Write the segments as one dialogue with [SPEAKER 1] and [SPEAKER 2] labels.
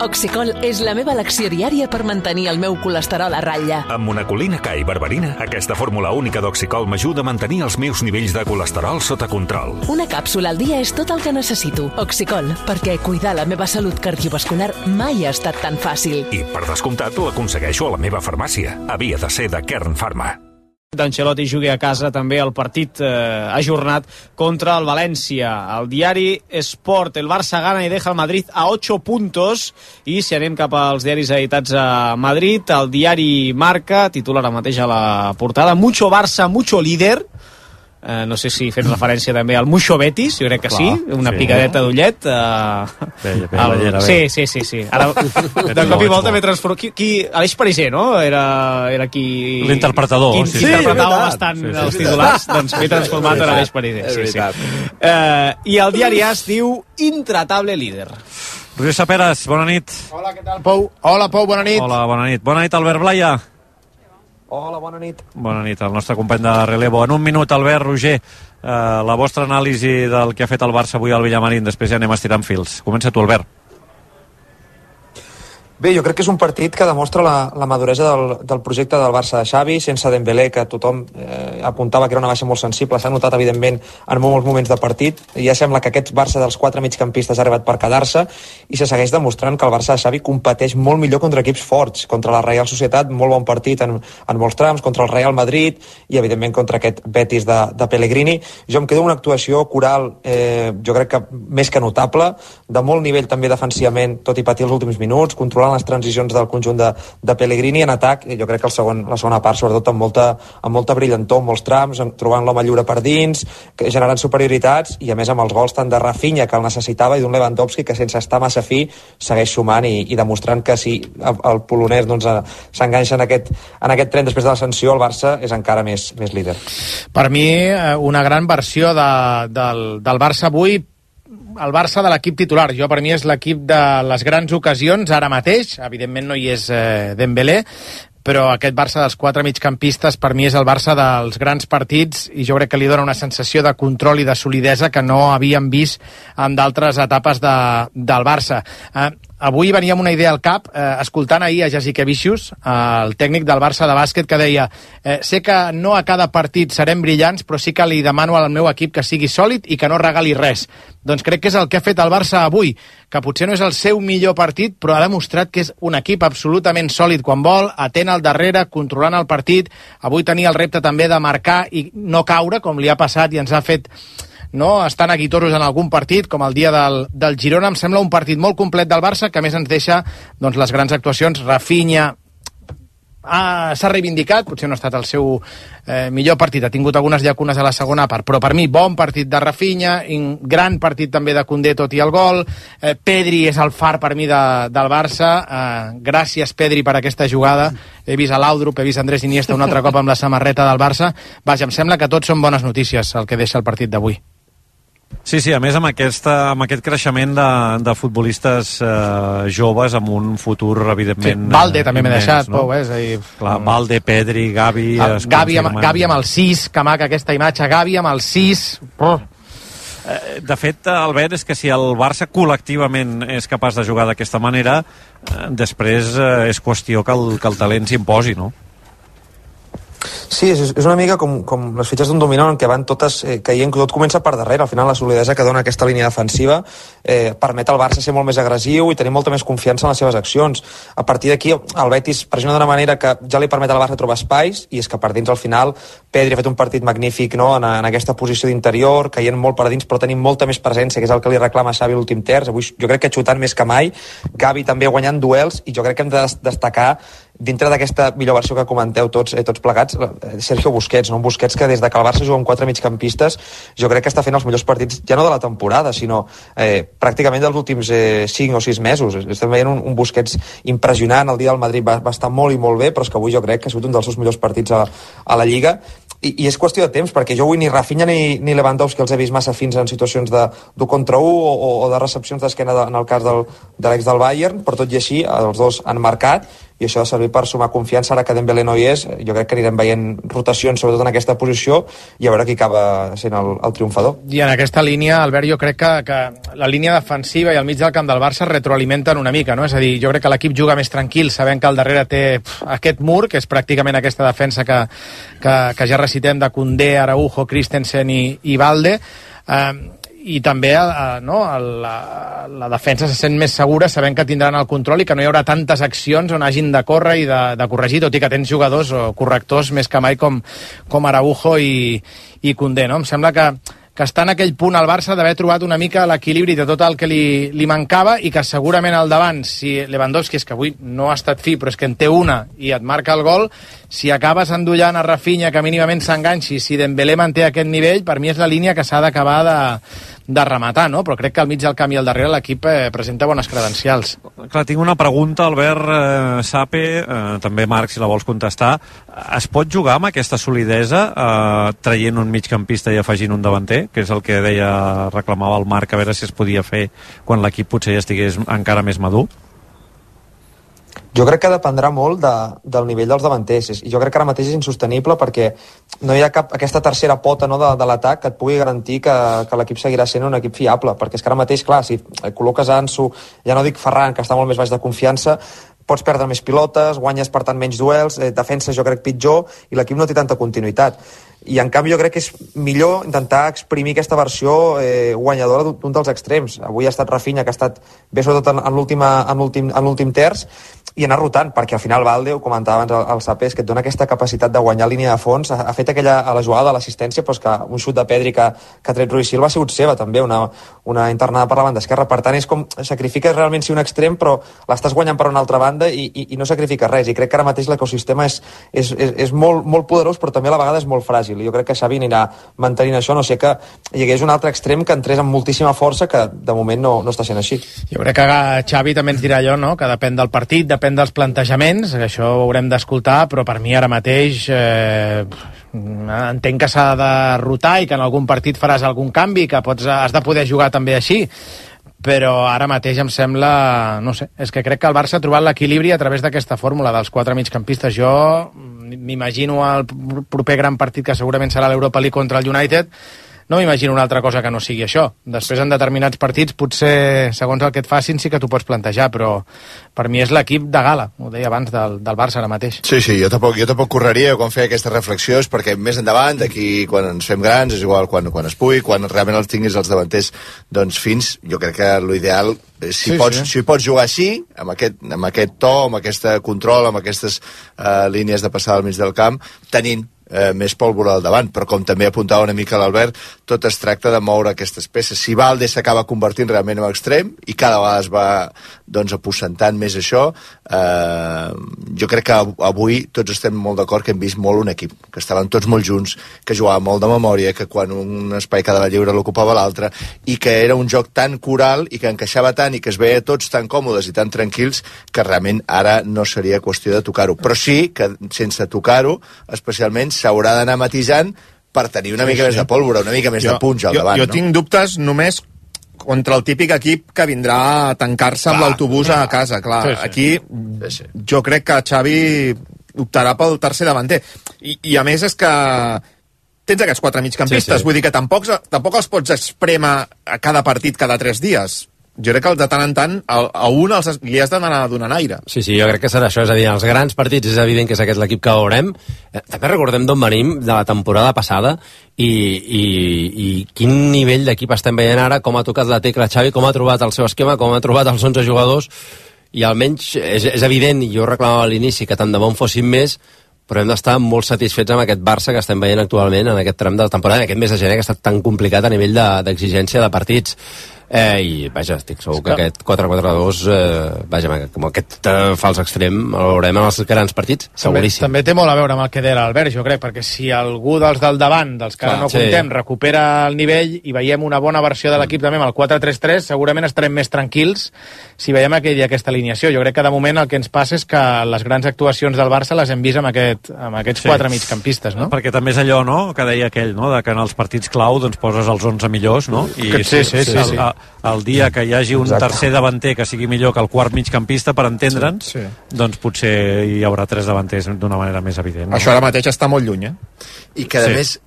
[SPEAKER 1] Oxicol és la meva elecció diària per mantenir el meu colesterol a ratlla.
[SPEAKER 2] Amb monacolina K i berberina, aquesta fórmula única d'Oxicol m'ajuda a mantenir els meus nivells de colesterol sota control.
[SPEAKER 1] Una càpsula al dia és tot el que necessito. Oxicol, perquè cuidar la meva salut cardiovascular mai ha estat tan fàcil.
[SPEAKER 2] I, per descomptat, l'aconsegueixo a la meva farmàcia. Havia de ser de Kern Pharma.
[SPEAKER 3] D'Ancelotti jugui a casa també el partit ajornat contra el València. El diari Sport, el Barça gana i deja el Madrid a 8 puntos. I si anem cap als diaris editats a Madrid, el diari Marca titula ara mateix a la portada: Mucho Barça, mucho líder. No sé si fent referència també al Mucho Betis, jo crec que sí, una picadeta d'ullet. Sí. Ara, de cop i volta m'he transformat. Aleix Pariser, no? Era qui...
[SPEAKER 4] L'interpretador.
[SPEAKER 3] Qui interpretava bastant els titulars. Doncs m'he transformat en Aleix Pariser. Sí. I el diari AS diu intratable líder.
[SPEAKER 4] Roger Saperas, bona nit.
[SPEAKER 5] Hola, què tal, Pou? Hola, Pou, bona nit.
[SPEAKER 4] Hola, bona nit. Bona nit, Albert Blaya.
[SPEAKER 5] Hola, bona nit.
[SPEAKER 4] Bona nit, el nostre company de relevo. En un minut, Albert, Roger, la vostra anàlisi del que ha fet el Barça avui al Villamarín, després ja anem estirant fils. Comença tu, Albert.
[SPEAKER 5] Bé, jo crec que és un partit que demostra la maduresa del projecte del Barça de Xavi, sense Dembélé, que tothom apuntava que era una baixa molt sensible. S'ha notat, evidentment, en molts moments de partit. Ja sembla que aquest Barça dels 4 migcampistes ha arribat per quedar-se i se segueix demostrant que el Barça de Xavi competeix molt millor contra equips forts. Contra la Real Societat, molt bon partit en molts trams, contra el Real Madrid i, evidentment, contra aquest Betis de Pellegrini. Jo em quedo una actuació coral, jo crec que més que notable, de molt nivell també defensivament, tot i patir els últims minuts, controlar les transicions del conjunt de Pellegrini en atac. Jo crec que la segona part, sobretot amb molta brillantor, amb molts trams, trobant l'home lliure per dins, generant superioritats i a més amb els gols tant de Rafinha, que el necessitava, i d'un Lewandowski que sense estar massa fi segueix sumant i demostrant que si el polonès s'enganxa en aquest tren després de l'ascensió, el Barça és encara més líder.
[SPEAKER 6] Per mi, una gran versió del Barça avui, el Barça de l'equip titular. Per mi és l'equip de les grans ocasions ara mateix. Evidentment no hi és Dembélé, però aquest Barça dels 4 migcampistes per mi és el Barça dels grans partits i jo crec que li dona una sensació de control i de solidesa que no havíem vist en d'altres etapes del Barça. Avui venia amb una idea al cap, escoltant ahir a Jasikevičius, el tècnic del Barça de bàsquet, que deia: sé que no a cada partit serem brillants, però sí que li demano al meu equip que sigui sòlid i que no regali res. Doncs crec que és el que ha fet el Barça avui, que potser no és el seu millor partit, però ha demostrat que és un equip absolutament sòlid quan vol, atent al darrere, controlant el partit. Avui tenia el repte també de marcar i no caure, com li ha passat i ens ha fet estar neguitosos en algun partit, com el dia del Girona. Em sembla un partit molt complet del Barça, que a més ens deixa les grans actuacions. Rafinha s'ha reivindicat, potser no ha estat el seu millor partit, ha tingut algunes llacunes a la segona part, però per mi bon partit de Rafinha, gran partit també de Koundé tot i el gol. Pedri és el far per mi del Barça. Gràcies, Pedri, per aquesta jugada. He vist a Laudrup, he vist Andrés Iniesta un altre cop amb la samarreta del Barça. Vaja, em sembla que tots són bones notícies el que deixa el partit d'avui.
[SPEAKER 4] Sí, a més amb aquest creixement de futbolistes joves amb un futur evidentment...
[SPEAKER 6] Sí, Valde també m'he deixat, Pau,
[SPEAKER 4] Clar, Valde, Pedri, Gavi...
[SPEAKER 6] Gavi amb el 6, que maca aquesta imatge, Gavi amb el 6...
[SPEAKER 4] De fet, Albert, és que si el Barça col·lectivament és capaç de jugar d'aquesta manera, després és qüestió que el talent s'imposi, no?
[SPEAKER 5] Sí, és una mica com les fitxes d'un dominó en què van totes caient, tot comença per darrere. Al final la solidesa que dona aquesta línia defensiva permet al Barça ser molt més agressiu i tenir molta més confiança en les seves accions. A partir d'aquí el Betis pressiona d'una manera que ja li permet al Barça trobar espais, i és que per dins al final Pedri ha fet un partit magnífic, no? en aquesta posició d'interior, caient molt per dins però tenint molta més presència, que és el que li reclama Xavi l'últim terç. Avui jo crec que xutant més que mai, Gavi també guanyant duels, i jo crec que hem de destacar dintre d'aquesta millor versió que comenteu tots plegats, Sergio Busquets, no? Un Busquets que des de que el Barça juga amb 4 migcampistes jo crec que està fent els millors partits ja no de la temporada, sinó pràcticament dels últims 5 o 6 mesos. Estem veient un Busquets impressionant. El dia del Madrid va estar molt i molt bé, però és que avui jo crec que ha sigut un dels seus millors partits a la Lliga. I és qüestió de temps, perquè jo avui ni Rafinha ni Lewandowski els he vist massa fins en situacions d'1 contra 1 o de recepcions d'esquena en el cas de l'ex del Bayern, però tot i així els dos han marcat. i això ha de servir per sumar confiança. Ara que Dembélé no hi és, jo crec que anirem veient rotacions, sobretot en aquesta posició, i a veure qui acaba sent el triomfador.
[SPEAKER 6] I en aquesta línia, Albert, jo crec que la línia defensiva i el mig del camp del Barça retroalimenten una mica, no? És a dir, jo crec que l'equip juga més tranquil, sabent que al darrere té aquest mur, que és pràcticament aquesta defensa que ja recitem de Koundé, Araujo, Christensen i Balde, i també la defensa se sent més segura sabent que tindran el control i que no hi haurà tantes accions on hagin de córrer i de corregir, tot i que tens jugadors o correctors més que mai com Araujo i Koundé, no? Em sembla que està en aquell punt al Barça d'haver trobat una mica l'equilibri de tot el que li mancava i que segurament al davant, si Lewandowski, és que avui no ha estat fi, però és que en té una i et marca el gol, si acabes endollant a Rafinha que mínimament s'enganxi, si Dembélé manté aquest nivell, per mi és la línia que s'ha d'acabar de rematar, no? Però crec que al mig del camp i al darrere l'equip presenta bones credencials.
[SPEAKER 4] Clar, tinc una pregunta, Albert Sape, també Marc, si la vols contestar. Es pot jugar amb aquesta solidesa traient un migcampista i afegint un davanter, que és el que reclamava el Marc, a veure si es podia fer quan l'equip potser ja estigués encara més madur?
[SPEAKER 5] Jo crec que dependrà molt del nivell dels davanters, i jo crec que ara mateix és insostenible perquè no hi ha aquesta tercera pota, no, de l'atac que et pugui garantir que l'equip seguirà sent un equip fiable, perquè és que ara mateix, clar, si col·loques Ansu, ja no dic Ferran, que està molt més baix de confiança, pots perdre més pilotes, guanyes per tant menys duels, defensa jo crec pitjor, i l'equip no té tanta continuïtat. I en canvi jo crec que és millor intentar exprimir aquesta versió guanyadora d'un dels extrems. Avui ha estat Rafinha, que ha estat bé sobretot en l'últim terç, i anar rotant, perquè al final Balde, ho comentava abans el Sapés, que et dona aquesta capacitat de guanyar línia de fons, ha fet aquella a la jugada de l'assistència, però és que un xut de Pedri que ha tret Rui Silva ha sigut seva també, una internada per la banda esquerra, per tant és com sacrifiques realment si un extrem, però l'estàs guanyant per una altra banda i no sacrifiques res, i crec que ara mateix l'ecosistema és molt, molt poderós, però també a la vegada és molt fràgil, i jo crec que Xavi anirà mantenint això, no sé que hi hagués un altre extrem que entrés amb moltíssima força, que de moment no està sent així.
[SPEAKER 6] Jo crec que Xavi també ens dirà allò, no?, que depèn del partit, depèn dels plantejaments, que això ho haurem d'escoltar, però per mi ara mateix entenc que s'ha de rotar i que en algun partit faràs algun canvi, que has de poder jugar també així, però ara mateix em sembla, no sé, és que crec que el Barça ha trobat l'equilibri a través d'aquesta fórmula dels 4 migcampistes. Jo m'imagino el proper gran partit, que segurament serà l'Europa League contra el United, no m'imagino una altra cosa que no sigui això. Després, en determinats partits, potser, segons el que et facin, sí que t'ho pots plantejar, però per mi és l'equip de gala, ho deia abans, del Barça ara mateix.
[SPEAKER 7] Sí, jo tampoc correria quan feia aquesta reflexió, és perquè més endavant, d'aquí quan ens fem grans, és igual quan es pugui, quan realment els tinguis els davanters doncs fins, jo crec que l'ideal, si pots jugar així, amb aquest to, amb aquest control, amb aquestes línies de passada al mig del camp, tenint més pólvora al davant, però com també apuntava una mica l'Albert, tot es tracta de moure aquestes peces. Si Balde s'acaba convertint realment en extrem i cada vegada es va aposentant més això, jo crec que avui tots estem molt d'acord que hem vist molt un equip, que estaven tots molt junts, que jugaven molt de memòria, que quan un espai quedava lliure l'ocupava l'altre, i que era un joc tan coral i que encaixava tant i que es veia tots tan còmodes i tan tranquils que realment ara no seria qüestió de tocar-ho, però sí que sense tocar-ho especialment s'haurà d'anar matisant per tenir una mica més de pólvora, una mica més de punx al davant.
[SPEAKER 8] Jo tinc dubtes només contra el típic equip que vindrà a tancar-se amb l'autobús a casa, clar. Aquí jo crec que Xavi optarà pel tercer davanter. I a més és que tens aquests 4 migcampistes, vull dir que tampoc els pots esprémer a cada partit cada 3 dies. Jo crec que de tant en tant a un li has d'anar donant aire.
[SPEAKER 9] Sí, jo crec que serà això, és a dir, els grans partits és evident que és aquest l'equip que veurem. També recordem d'on venim de la temporada passada i quin nivell d'equip estem veient ara, com ha tocat la tecla Xavi, com ha trobat el seu esquema, com ha trobat els 11 jugadors, i almenys és evident, i jo reclamava a l'inici que tant de bon fossin més, però hem d'estar molt satisfets amb aquest Barça que estem veient actualment en aquest tram de la temporada, en aquest mes de gener que ha estat tan complicat a nivell d'exigència de partits. I vaja, estic segur que aquest 4-4-2 com aquest fals extrem el veurem en els grans partits, seguríssim.
[SPEAKER 6] També té molt a veure amb el que deia l'Albert, jo crec, perquè si algú dels del davant, dels que ara no comptem, recupera el nivell i veiem una bona versió de l'equip també amb el 4-3-3, segurament estarem més tranquils si veiem aquesta alineació. Jo crec que de moment el que ens passa és que les grans actuacions del Barça les hem vist amb aquests 4 migcampistes, no?
[SPEAKER 4] Perquè també és allò, no?, que deia aquell, no?, de que en els partits clau doncs poses els 11 millors, no? I el dia que hi hagi un tercer davanter que sigui millor que el quart migcampista, per entendre'ns, doncs potser hi haurà 3 davanters d'una manera més evident.
[SPEAKER 8] Això ara mateix està molt lluny,
[SPEAKER 7] I que, a més,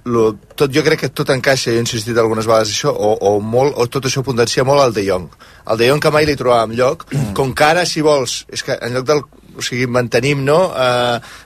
[SPEAKER 7] jo crec que tot encaixa, jo he insistit algunes vegades això, o tot això potencia molt el De Jong. El De Jong que mai li trobàvem lloc, com que ara, si vols, és que en lloc del... O sigui, mantenim, no?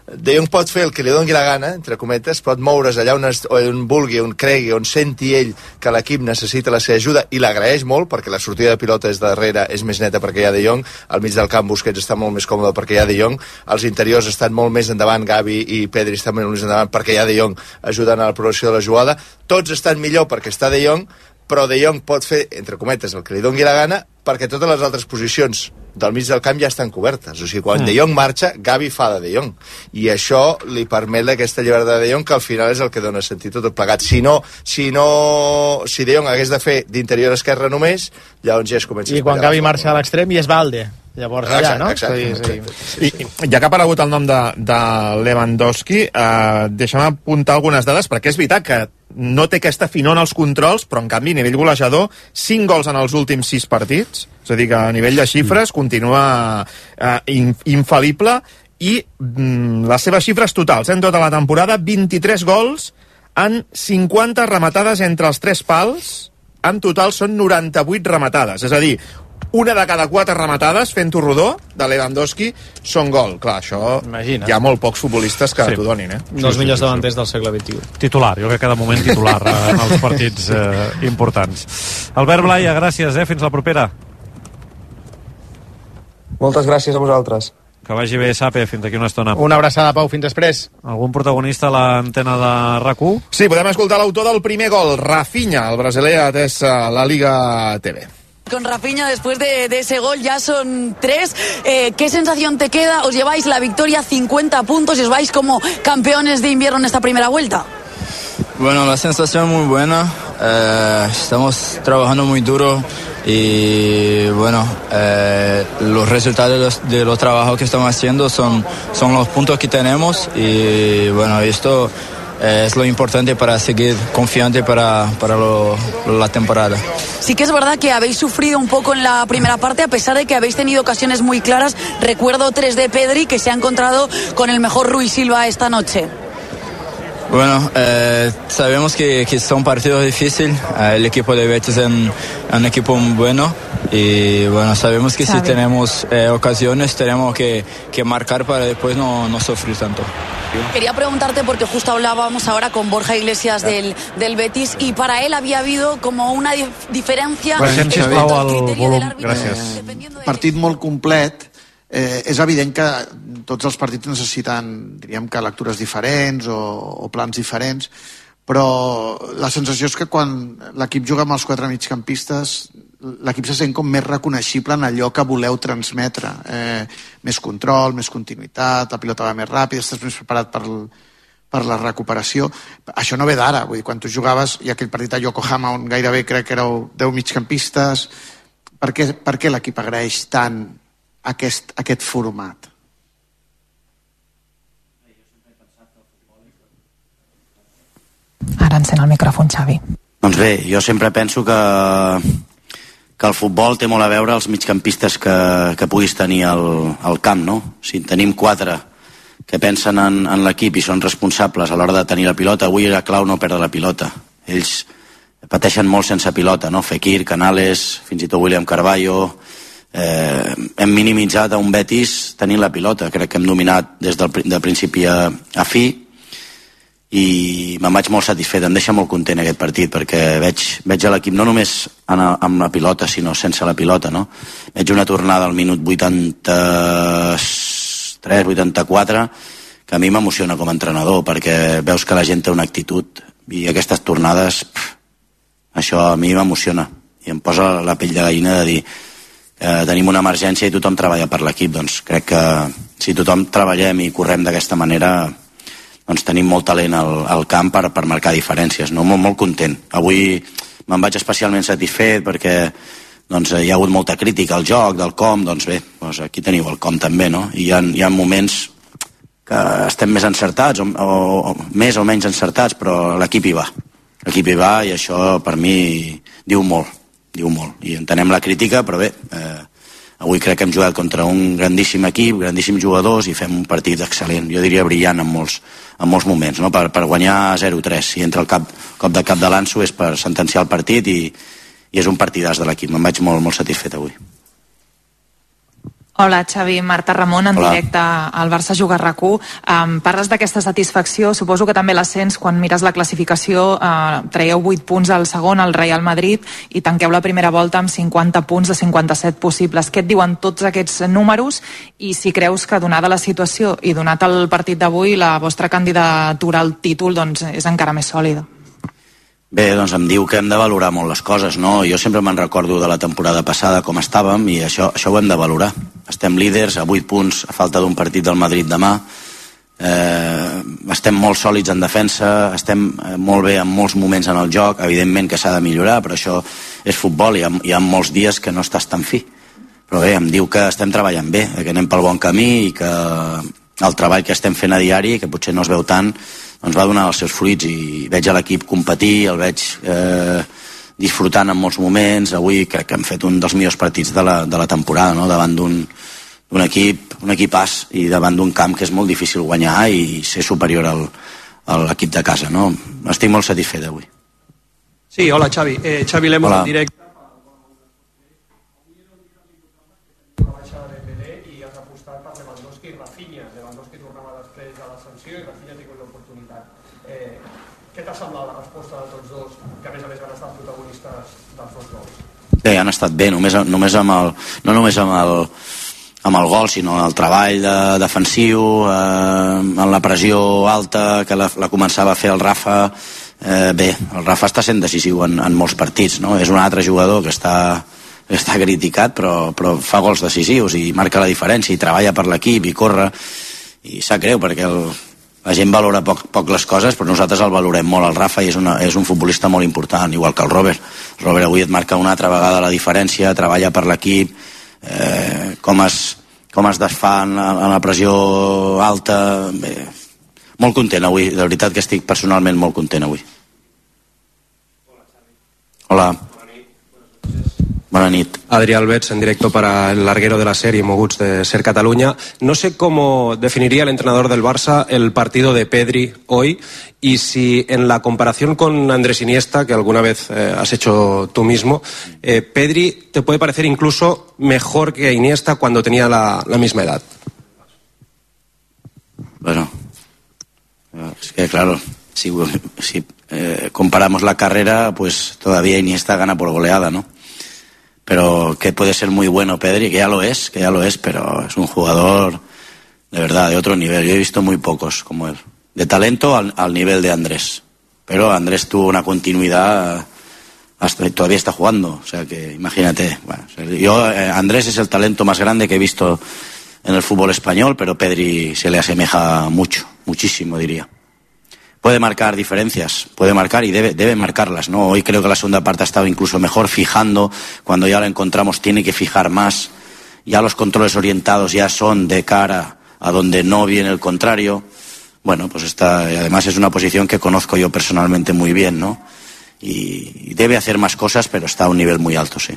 [SPEAKER 7] De Jong pot fer el que li doni la gana, entre cometes, pot moure's allà on vulgui, on cregui, on senti ell que l'equip necessita la seva ajuda, i l'agraeix molt, perquè la sortida de pilota des darrere és més neta perquè hi ha De Jong, al mig del camp Busquets està molt més còmode perquè hi ha De Jong, els interiors estan molt més endavant, Gavi i Pedri estan molt més endavant perquè hi ha De Jong ajudant a la progressió de la jugada, tots estan millor perquè està De Jong, però De Jong pot fer, entre cometes, el que li doni la gana, perquè totes les altres posicions del mig del camp ja estan cobertes. O sigui, quan De Jong marxa, Gavi fa de Jong. I això li permet aquesta llibertat de De Jong, que al final és el que dona sentit tot plegat. Si De Jong hagués de fer d'interior esquerra només, llavors ja es comença a...
[SPEAKER 6] I quan Gavi marxa a l'extrem i és Valde. Llavors allà, no?
[SPEAKER 7] Exacte.
[SPEAKER 8] I ja que ha aparegut el nom de Lewandowski, deixa'm apuntar algunes dades, perquè és veritat que no té aquesta finor en els controls, però en canvi a nivell golejador 5 gols en els últims 6 partits, és a dir que a nivell de xifres continua infal·lible, i les seves xifres totals en tota la temporada: 23 gols en 50 rematades entre els 3 pals, en total són 98 rematades, és a dir, una de cada 4 rematades, fent-ho rodó, de Lewandowski, són gol. Clar, això hi ha molt pocs futbolistes que t'ho donin,
[SPEAKER 3] Els millors davanters del segle XXI.
[SPEAKER 4] Titular, jo crec que de moment titular en els partits importants. Albert Blaya, gràcies, fins la propera.
[SPEAKER 5] Moltes gràcies a vosaltres.
[SPEAKER 4] Que vagi bé, Sape, fins aquí una estona.
[SPEAKER 6] Una abraçada, Pau, fins després.
[SPEAKER 4] Algun protagonista a l'antena de RAC1?
[SPEAKER 8] Sí, podem escoltar l'autor del primer gol, Rafinha, el brasiler atès a la Liga TV.
[SPEAKER 10] Con Rafinha, después de ese gol, ya son 3. ¿Qué sensación te queda? ¿Os lleváis la victoria, 50 puntos, y os vais como campeones de invierno en esta primera vuelta?
[SPEAKER 11] Bueno, la sensación es muy buena. Estamos trabajando muy duro y bueno, los resultados de los trabajos que estamos haciendo son los puntos que tenemos, y bueno, esto es lo importante para seguir confiante para la temporada.
[SPEAKER 10] Sí que es verdad que habéis sufrido un poco en la primera parte, a pesar de que habéis tenido ocasiones muy claras. Recuerdo 3 de Pedri, que se ha encontrado con el mejor Rui Silva esta noche.
[SPEAKER 11] Bueno, sabemos que son partidos difíciles. El equipo de Betis es un equipo muy bueno, y bueno, sabemos que si tenemos ocasiones tenemos que marcar para después no sufrir tanto.
[SPEAKER 10] Quería preguntarte, porque justo hablábamos ahora con Borja Iglesias del Betis, y para él había habido como una diferencia
[SPEAKER 4] en cuanto al criterio del
[SPEAKER 10] árbitro.
[SPEAKER 4] Gràcies.
[SPEAKER 12] Partit molt complet. És evident que tots els partits necessiten, diríem que, lectures diferents o plans diferents, però la sensació és que quan l'equip juga amb els 4 migcampistes, l'equip se sent com més reconeixible en allò que voleu transmetre. Més control, més continuïtat, la pilota va més ràpid, estàs més preparat per la recuperació. Això no ve d'ara, vull dir, quan tu jugaves, hi ha aquell partit a Yokohama on gairebé crec que éreu 10 migcampistes. Per què l'equip agraeix tant aquest format?
[SPEAKER 13] Ara encén el micròfon, Xavi.
[SPEAKER 14] Doncs bé, jo sempre penso que el futbol té molt a veure els migcampistes que puguis tenir al camp, no? Si tenim 4 que pensen en l'equip i són responsables a l'hora de tenir la pilota, avui era clau no perdre la pilota. Ells pateixen molt sense pilota, no? Fekir, Canales, fins i tot William Carvalho. Hem minimitzat a un Betis tenint la pilota. Crec que hem dominat des de principi a fi, i me'n vaig molt satisfet. Em deixa molt content aquest partit, perquè veig a l'equip no només amb la pilota, sinó sense la pilota, no? Veig una tornada al minut 83-84 que a mi m'emociona com a entrenador, perquè veus que la gent té una actitud, i aquestes tornades, això a mi m'emociona i em posa la pell de gallina de dir tenim una emergència i tothom treballa per l'equip. Doncs crec que si tothom treballem i correm d'aquesta manera, doncs tenim molt talent al camp per marcar diferències, no? Molt content. Avui me'n vaig especialment satisfet perquè doncs, hi ha hagut molta crítica al joc, del com. Doncs bé, doncs aquí teniu el com també, no? I hi ha moments que estem més encertats o més o menys encertats, però l'equip hi va. L'equip hi va, i això per mi diu molt. diu molt. I entenem la crítica, però bé, avui crec que hem jugat contra un grandíssim equip, grandíssims jugadors, i fem un partit excel·lent, jo diria brillant en molts moments, no? Per guanyar 0-3. Si entra el cop de cap de l'Anso és per sentenciar el partit i és un partidàs de l'equip. Me'n vaig molt satisfet avui.
[SPEAKER 13] Hola, Xavi, Marta Ramon, en directe al Barça Juga RAC1. Parles d'aquesta satisfacció, suposo que també la sents quan mires la classificació, traieu 8 punts al segon, al Real Madrid, i tanqueu la primera volta amb 50 punts de 57 possibles. Què et diuen tots aquests números i si creus que, donada la situació i donat el partit d'avui, la vostra candidatura al títol doncs, és encara més sòlida?
[SPEAKER 14] Bé, doncs em diu que hem de valorar molt les coses, no? Jo sempre me'n recordo de la temporada passada com estàvem i això ho hem de valorar. Estem líders a 8 punts a falta d'un partit del Madrid demà. Estem molt sòlids en defensa, estem molt bé en molts moments en el joc, evidentment que s'ha de millorar, però això és futbol i hi ha molts dies que no estàs tan fi. Però bé, em diu que estem treballant bé, que anem pel bon camí i que el treball que estem fent a diari, que potser no es veu tant, doncs va donar els seus fruits i veig a l'equip competir, el veig disfrutant en molts moments. Avui crec que hem fet un dels millors partits de la temporada, no? Davant d'un equipàs i davant d'un camp que és molt difícil guanyar i ser superior a l'equip de casa, no? Estic molt satisfet avui.
[SPEAKER 15] Sí, hola Xavi. Xavi Lemos en directe.
[SPEAKER 16] Què t'ha semblat la resposta de tots dos, que a més han estat protagonistes dels dos gols?
[SPEAKER 14] Bé, han estat bé, no només amb el gol, sinó el treball defensiu, en la pressió alta que la començava a fer el Rafa. Bé, el Rafa està sent decisiu en molts partits, no? És un altre jugador que està criticat, però fa gols decisius i marca la diferència i treballa per l'equip i corre, i sap greu perquè la gent valora poc les coses, però nosaltres el valorem molt. El Rafa és un futbolista molt important, igual que el Robert. El Robert avui et marca una altra vegada la diferència, treballa per l'equip, com es desfà en la pressió alta. Bé, molt content avui, de veritat que estic personalment molt content avui. Hola. Buenas noches.
[SPEAKER 17] Adrián Betts, en directo para el larguero de la serie, Moguts de Ser Cataluña. No sé cómo definiría el entrenador del Barça el partido de Pedri hoy y si en la comparación con Andrés Iniesta, que alguna vez has hecho tú mismo, Pedri te puede parecer incluso mejor que Iniesta cuando tenía la misma edad.
[SPEAKER 14] Bueno, es que claro, si comparamos la carrera, pues todavía Iniesta gana por goleada, ¿no? Pero que puede ser muy bueno Pedri, que ya lo es, pero es un jugador de verdad, de otro nivel. Yo he visto muy pocos como él. De talento al nivel de Andrés. Pero Andrés tuvo una continuidad, todavía está jugando, o sea que imagínate. Bueno, Andrés es el talento más grande que he visto en el fútbol español, pero Pedri se le asemeja mucho, muchísimo diría. Puede marcar diferencias, puede marcar y debe marcarlas, ¿no? Hoy creo que la segunda parte ha estado incluso mejor, fijando, cuando ya lo encontramos tiene que fijar más, ya los controles orientados ya son de cara a donde no viene el contrario. Bueno, pues además es una posición que conozco yo personalmente muy bien, ¿no? Y debe hacer más cosas, pero está a un nivel muy alto, sí.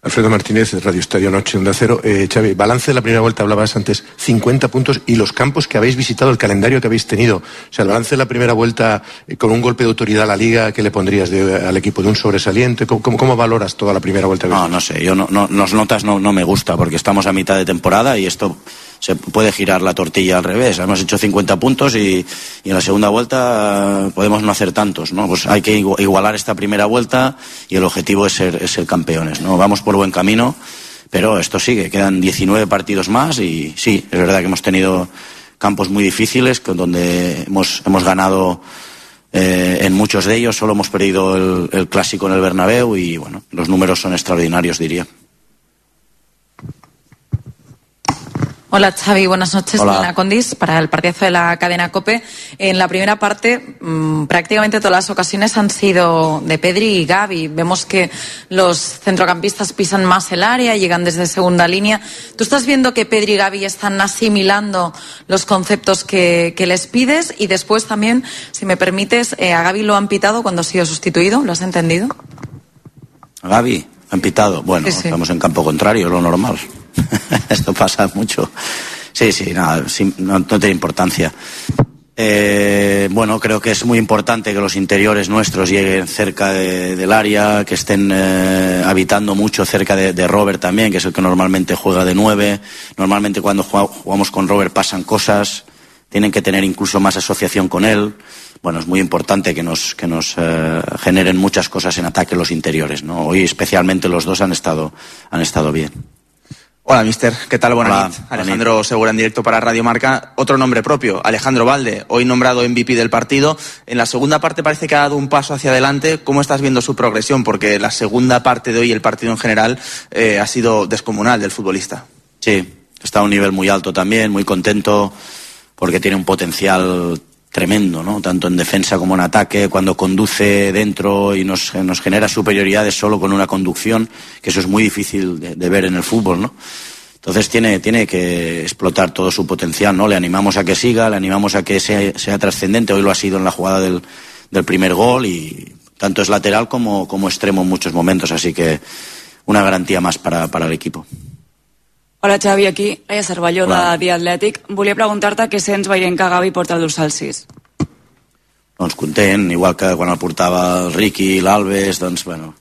[SPEAKER 18] Alfredo Martínez, Radio Estadio Noche, Onda Cero. Xavi, balance de la primera vuelta, hablabas antes, 50 puntos y los campos que habéis visitado, el calendario que habéis tenido. O sea, el balance de la primera vuelta con un golpe de autoridad a la Liga, ¿qué le pondrías al equipo? ¿De un sobresaliente? ¿Cómo valoras toda la primera vuelta?
[SPEAKER 14] No sé, yo las notas no me gusta porque estamos a mitad de temporada y esto se puede girar la tortilla al revés. Hemos hecho 50 puntos y en la segunda vuelta podemos no hacer tantos, ¿no? Pues hay que igualar esta primera vuelta y el objetivo es ser campeones, ¿no? Vamos por buen camino, pero esto sigue, quedan 19 partidos más y sí, es verdad que hemos tenido campos muy difíciles donde hemos ganado en muchos de ellos, solo hemos perdido el clásico en el Bernabéu y bueno, los números son extraordinarios, diría.
[SPEAKER 13] Hola Xavi, buenas noches.
[SPEAKER 14] Hola.
[SPEAKER 13] Lina Condis para el partidazo de la cadena COPE. En la primera parte prácticamente todas las ocasiones han sido de Pedri y Gavi. Vemos que los centrocampistas pisan más el área, llegan desde segunda línea. ¿Tú estás viendo que Pedri y Gavi están asimilando los conceptos que les pides? Y después también, si me permites, a Gavi lo han pitado cuando ha sido sustituido. ¿Lo has entendido?
[SPEAKER 14] ¿A Gavi? ¿Han pitado? Bueno,
[SPEAKER 13] Sí.
[SPEAKER 14] estamos en campo contrario, lo normal. Esto pasa mucho. Sí, nada, no tiene importancia. Bueno, creo que es muy importante que los interiores nuestros lleguen cerca del área, que estén habitando mucho cerca de Robert también, que es el que normalmente juega de 9. Normalmente cuando jugamos con Robert pasan cosas, tienen que tener incluso más asociación con él. Bueno, es muy importante que nos generen muchas cosas en ataque los interiores, ¿no? Hoy especialmente los dos han estado bien.
[SPEAKER 19] Hola, mister. ¿Qué tal? Buenas
[SPEAKER 14] Hola,
[SPEAKER 19] noches. Alejandro Segura en directo para Radio Marca. Otro nombre propio, Alejandro Valde, hoy nombrado MVP del partido. En la segunda parte parece que ha dado un paso hacia adelante. ¿Cómo estás viendo su progresión? Porque la segunda parte de hoy, el partido en general, ha sido descomunal del futbolista.
[SPEAKER 14] Sí, está a un nivel muy alto también, muy contento, porque tiene un potencial tremendo, ¿no? Tanto en defensa como en ataque, cuando conduce dentro y nos genera superioridades solo con una conducción, que eso es muy difícil de ver en el fútbol, ¿no? Entonces tiene que explotar todo su potencial, ¿no? Le animamos a que siga, le animamos a que sea trascendente. Hoy lo ha sido en la jugada del primer gol, y tanto es lateral como extremo en muchos momentos, así que una garantía más para el equipo.
[SPEAKER 20] Hola Xavi, aquí Laia Cervelló de The Athletic. Volia preguntar-te què sents veient que Gavi porta el dorsal 6.
[SPEAKER 14] Doncs content, igual que quan el portava el Riqui, l'Alves, doncs bueno,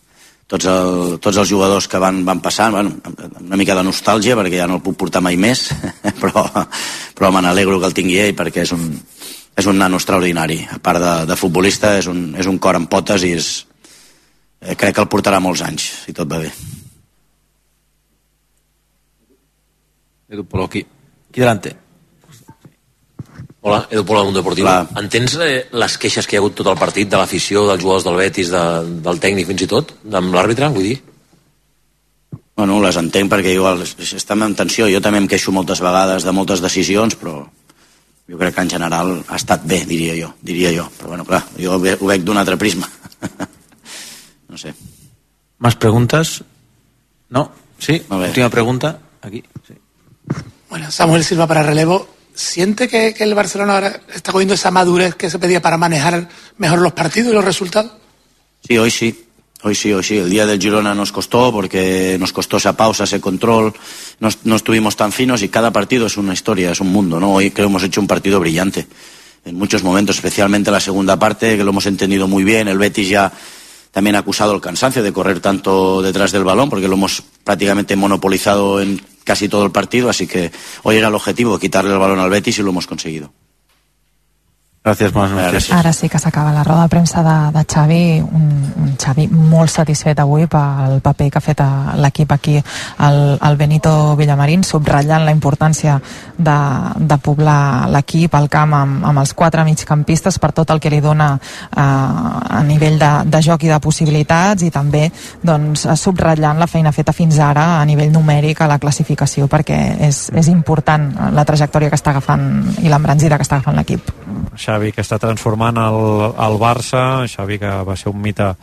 [SPEAKER 14] tots els jugadors que van passant, bueno, una mica de nostàlgia perquè ja no el puc portar mai més, però me n'alegro que el tingui ell perquè és un nano extraordinari. A part de futbolista, és un cor amb potes i crec que el portarà molts anys, si tot va bé.
[SPEAKER 21] Edu Polo, aquí delante. Hola, Edu Polo del Mundo Deportivo. Entens les queixes que hi ha hagut tot el partit de l'afició, dels jugadors del Betis, del tècnic fins i tot, amb l'àrbitre, vull dir?
[SPEAKER 14] Bueno, les entenc perquè igual estem en tensió. Jo també em queixo moltes vegades de moltes decisions, però jo crec que en general ha estat bé, diria jo. Però bueno, clar, jo ho veig d'un altre prisma. No sé.
[SPEAKER 22] ¿Más preguntas? ¿No? Sí, última pregunta. Aquí, sí.
[SPEAKER 23] Bueno, Samuel Silva para relevo. ¿Siente que el Barcelona ahora está cogiendo esa madurez que se pedía para manejar mejor los partidos y los resultados?
[SPEAKER 14] Sí, hoy sí. El día del Girona nos costó porque nos costó esa pausa, ese control. No estuvimos tan finos y cada partido es una historia, es un mundo, ¿no? Hoy creo que hemos hecho un partido brillante. En muchos momentos, especialmente la segunda parte, que lo hemos entendido muy bien. El Betis ya también ha acusado el cansancio de correr tanto detrás del balón porque lo hemos prácticamente monopolizado en casi todo el partido, así que hoy era el objetivo, quitarle el balón al Betis, y lo hemos conseguido.
[SPEAKER 22] Gràcies, bones notícies.
[SPEAKER 24] Ara sí que s'acaba la roda de premsa de Xavi, un Xavi molt satisfet avui pel paper que ha fet l'equip aquí, el Benito Villamarín, subratllant la importància de poblar l'equip, el camp, amb els 4 migcampistes per tot el que li dona a nivell de joc i de possibilitats, i també doncs, subratllant la feina feta fins ara a nivell numèric a la classificació, perquè és important la trajectòria que està agafant i l'embranzida que està agafant l'equip.
[SPEAKER 4] Xavi, que està transformant el Barça, Xavi, que va ser un mite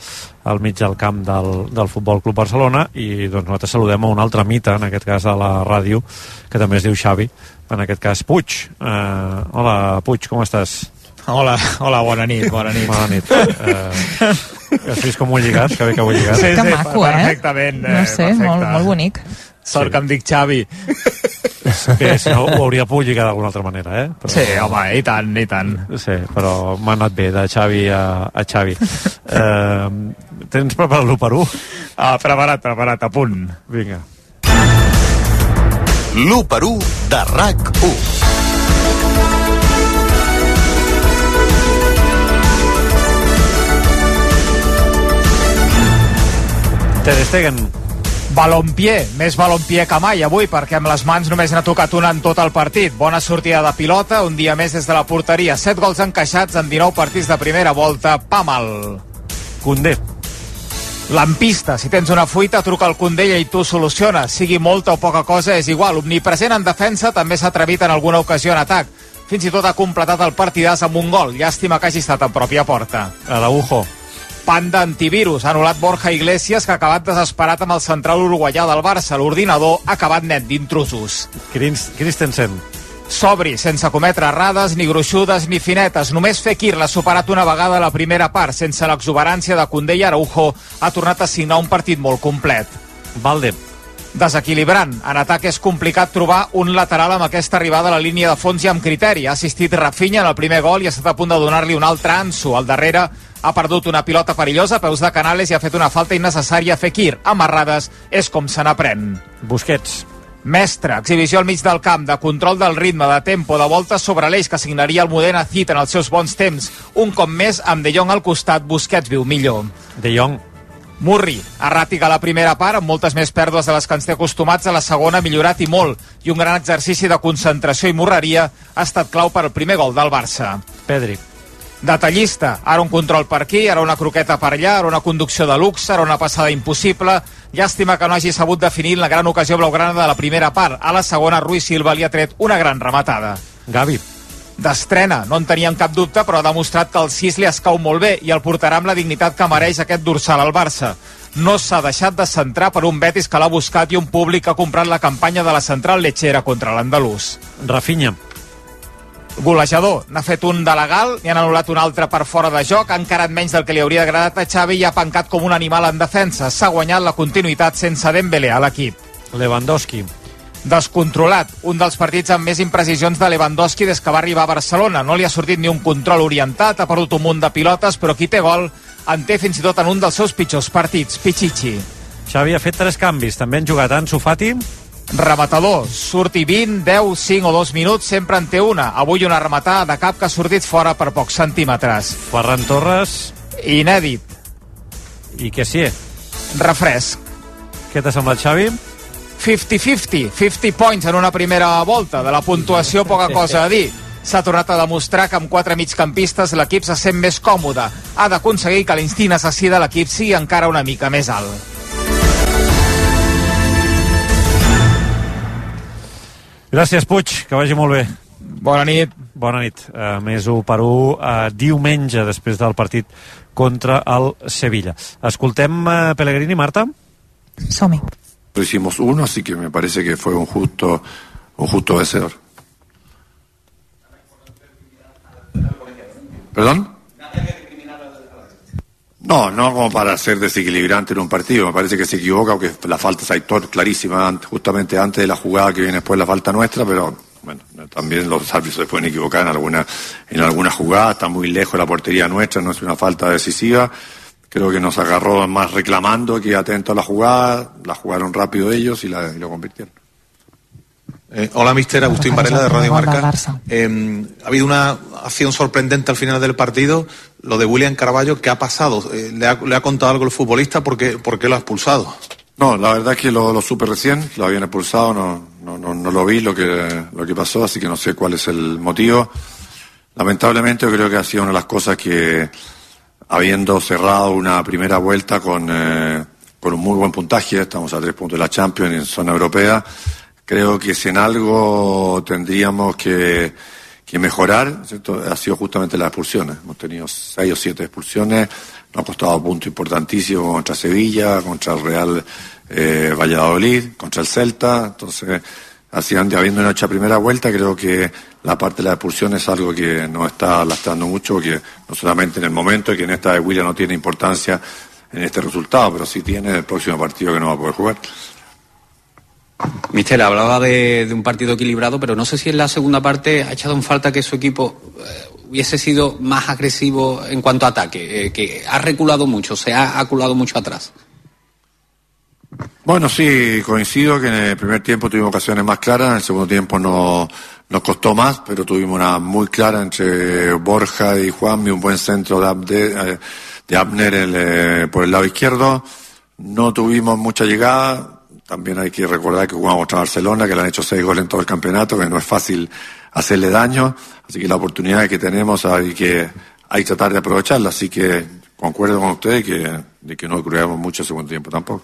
[SPEAKER 4] al mig del camp del Futbol Club Barcelona, i doncs nosaltres saludem a un altre mite, en aquest cas a la ràdio, que també es diu Xavi, en aquest cas Puig. Hola, Puig, com estàs?
[SPEAKER 25] Hola, bona nit.
[SPEAKER 4] Has vist com ho he lligat? Que bé que ho he lligat.
[SPEAKER 25] Sí,
[SPEAKER 24] que maco,
[SPEAKER 25] perfectament.
[SPEAKER 24] No sé, molt bonic.
[SPEAKER 25] Sort que em dic Xavi.
[SPEAKER 4] Bé, si no, ho hauria pogut lligar d'alguna altra manera, eh? Però...
[SPEAKER 25] Sí, home, i tant.
[SPEAKER 4] Sí, però m'ha anat bé, de Xavi a Xavi. Tens preparat l'1-1?
[SPEAKER 25] Preparat, a punt.
[SPEAKER 4] Vinga.
[SPEAKER 26] L'1-1 de RAC1.
[SPEAKER 4] Ter Stegen.
[SPEAKER 6] Balompié, més balompié que mai avui, perquè amb les mans només n'ha tocat una en tot el partit. Bona sortida de pilota, un dia més des de la porteria. 7 gols encaixats en 19 partits de primera volta. Pa mal.
[SPEAKER 4] Koundé.
[SPEAKER 6] Lampista, si tens una fuita, truca al Condella i tu soluciones. Sigui molta o poca cosa, és igual. Omnipresent en defensa, també s'ha atrevit en alguna ocasió en atac. Fins i tot ha completat el partidàs amb un gol. Llàstima que hagi estat a pròpia porta.
[SPEAKER 4] Araujo.
[SPEAKER 6] Panda antivirus. Ha anul·lat Borja Iglesias, que ha acabat desesperat amb el central uruguaià del Barça. L'ordinador ha acabat net d'intrusos.
[SPEAKER 4] Christensen.
[SPEAKER 6] Sobri, sense cometre errades, ni gruixudes ni finetes. Només Fekir l'ha superat una vegada a la primera part. Sense l'exuberància de Koundé i Araujo, ha tornat a signar un partit molt complet.
[SPEAKER 4] Valde.
[SPEAKER 6] Desequilibrant. En atac és complicat trobar un lateral amb aquesta arribada a la línia de fons i amb criteri. Ha assistit Rafinha en el primer gol i ha estat a punt de donar-li un altre Ansu. Al darrere ha perdut una pilota perillosa a peus de Canales i ha fet una falta innecessària a Fekir. Amarrades és com se n'aprèn.
[SPEAKER 4] Busquets.
[SPEAKER 6] Mestre, exhibició al mig del camp, de control del ritme, de tempo, de voltes sobre l'eix que signaria el Modena Cid en els seus bons temps. Un cop més, amb De Jong al costat, Busquets viu millor.
[SPEAKER 4] De Jong.
[SPEAKER 6] Murri, erràtic a la primera part, amb moltes més pèrdues de les que ens té acostumats, a la segona ha millorat i molt, i un gran exercici de concentració i morreria ha estat clau per al primer gol del Barça.
[SPEAKER 4] Pedri.
[SPEAKER 6] Detallista, ara un control per aquí, ara una croqueta per allà, ara una conducció de luxe, ara una passada impossible. Llàstima que no hagi sabut definir la gran ocasió blaugrana de la primera part. A la segona, Rui Silva li ha tret una gran rematada.
[SPEAKER 4] Gavi.
[SPEAKER 6] D'estrena, no en teníem cap dubte, però ha demostrat que el 6 li escau molt bé i el portarà amb la dignitat que mereix aquest dorsal al Barça. No s'ha deixat de centrar per un Betis que l'ha buscat i un públic que ha comprat la campanya de la central lechera contra l'andalús.
[SPEAKER 4] Rafinha.
[SPEAKER 6] Golejador, n'ha fet un de legal, n'hi han anul·lat un altre per fora de joc, ha encarat menys del que li hauria agradat a Xavi i ha pencat com un animal en defensa. S'ha guanyat la continuïtat sense Dembélé a l'equip.
[SPEAKER 4] Lewandowski.
[SPEAKER 6] Descontrolat, un dels partits amb més imprecisions de Lewandowski des que va arribar a Barcelona. No li ha sortit ni un control orientat, ha perdut un munt de pilotes, però qui té gol en té fins i tot en un dels seus pitjors partits, Pichichi.
[SPEAKER 4] Xavi ha fet 3 canvis, també han jugat Ansu Fati.
[SPEAKER 6] Rematador, surti 20, 10, 5 o 2 minuts, sempre en té una. Avui una rematada de cap que ha sortit fora per pocs centímetres.
[SPEAKER 4] Ferran Torres.
[SPEAKER 6] Inèdit.
[SPEAKER 4] I què sí?
[SPEAKER 6] Refresc.
[SPEAKER 4] Què t'ha semblat, Xavi?
[SPEAKER 6] 50-50, 50 points en una primera volta. De la puntuació poca cosa a dir. S'ha tornat a demostrar que amb 4 migcampistes l'equip se sent més còmode. Ha d'aconseguir que l'instint assassí de l'equip sigui encara una mica més alt.
[SPEAKER 4] Gràcies, Puig, que vagi molt bé.
[SPEAKER 6] Bona nit.
[SPEAKER 4] Bona nit. Més 1-1 diumenge després del partit contra el Sevilla. Escoltem Pellegrini, Marta?
[SPEAKER 24] Som-hi.
[SPEAKER 1] Hicimos uno, así que me parece que fue un justo vencedor. ¿Perdón? No como para ser desequilibrante en un partido. Me parece que se equivoca porque la falta es Aitor clarísima justamente antes de la jugada que viene después la falta nuestra, pero bueno, también los árbitros se pueden equivocar en alguna jugada. Está muy lejos de la portería nuestra, no es una falta decisiva. Creo que nos agarró más reclamando que atento a la jugada. La jugaron rápido ellos y lo convirtieron.
[SPEAKER 2] Hola, mister. Agustín Varela, de Radio Marca. Ha habido una acción sorprendente al final del partido, lo de William Carballo. ¿Qué ha pasado? ¿Le ha contado algo el futbolista? ¿Por qué lo ha expulsado?
[SPEAKER 1] No, la verdad es que lo supe recién, lo habían expulsado, no lo vi lo que pasó, así que no sé cuál es el motivo. Lamentablemente yo creo que ha sido una de las cosas que, habiendo cerrado una primera vuelta con un muy buen puntaje, estamos a 3 puntos de la Champions en zona europea, creo que si en algo tendríamos que mejorar, ¿cierto? Ha sido justamente las expulsiones. Hemos tenido 6 o 7 expulsiones, nos ha costado puntos importantísimos contra Sevilla, contra el Real Valladolid, contra el Celta. Entonces, así habiendo hecho primera vuelta, creo que la parte de la expulsión es algo que nos está lastrando mucho, que no solamente en el momento, y que en esta de William no tiene importancia en este resultado, pero sí tiene en el próximo partido que no va a poder jugar.
[SPEAKER 3] Mister, hablaba de un partido equilibrado, pero no sé si en la segunda parte ha echado en falta que su equipo hubiese sido más agresivo en cuanto a ataque, que ha reculado mucho, se ha aculado mucho atrás.
[SPEAKER 1] Bueno, sí, coincido que en el primer tiempo tuvimos ocasiones más claras, en el segundo tiempo nos costó más, pero tuvimos una muy clara entre Borja y Juanmi, un buen centro de Abner por el lado izquierdo. No tuvimos mucha llegada. También hay que recordar que jugamos contra Barcelona, que le han hecho 6 goles en todo el campeonato, que no es fácil hacerle daño, así que la oportunidad que tenemos hay que tratar de aprovecharla, así que concuerdo con ustedes de que no creamos mucho el segundo tiempo tampoco.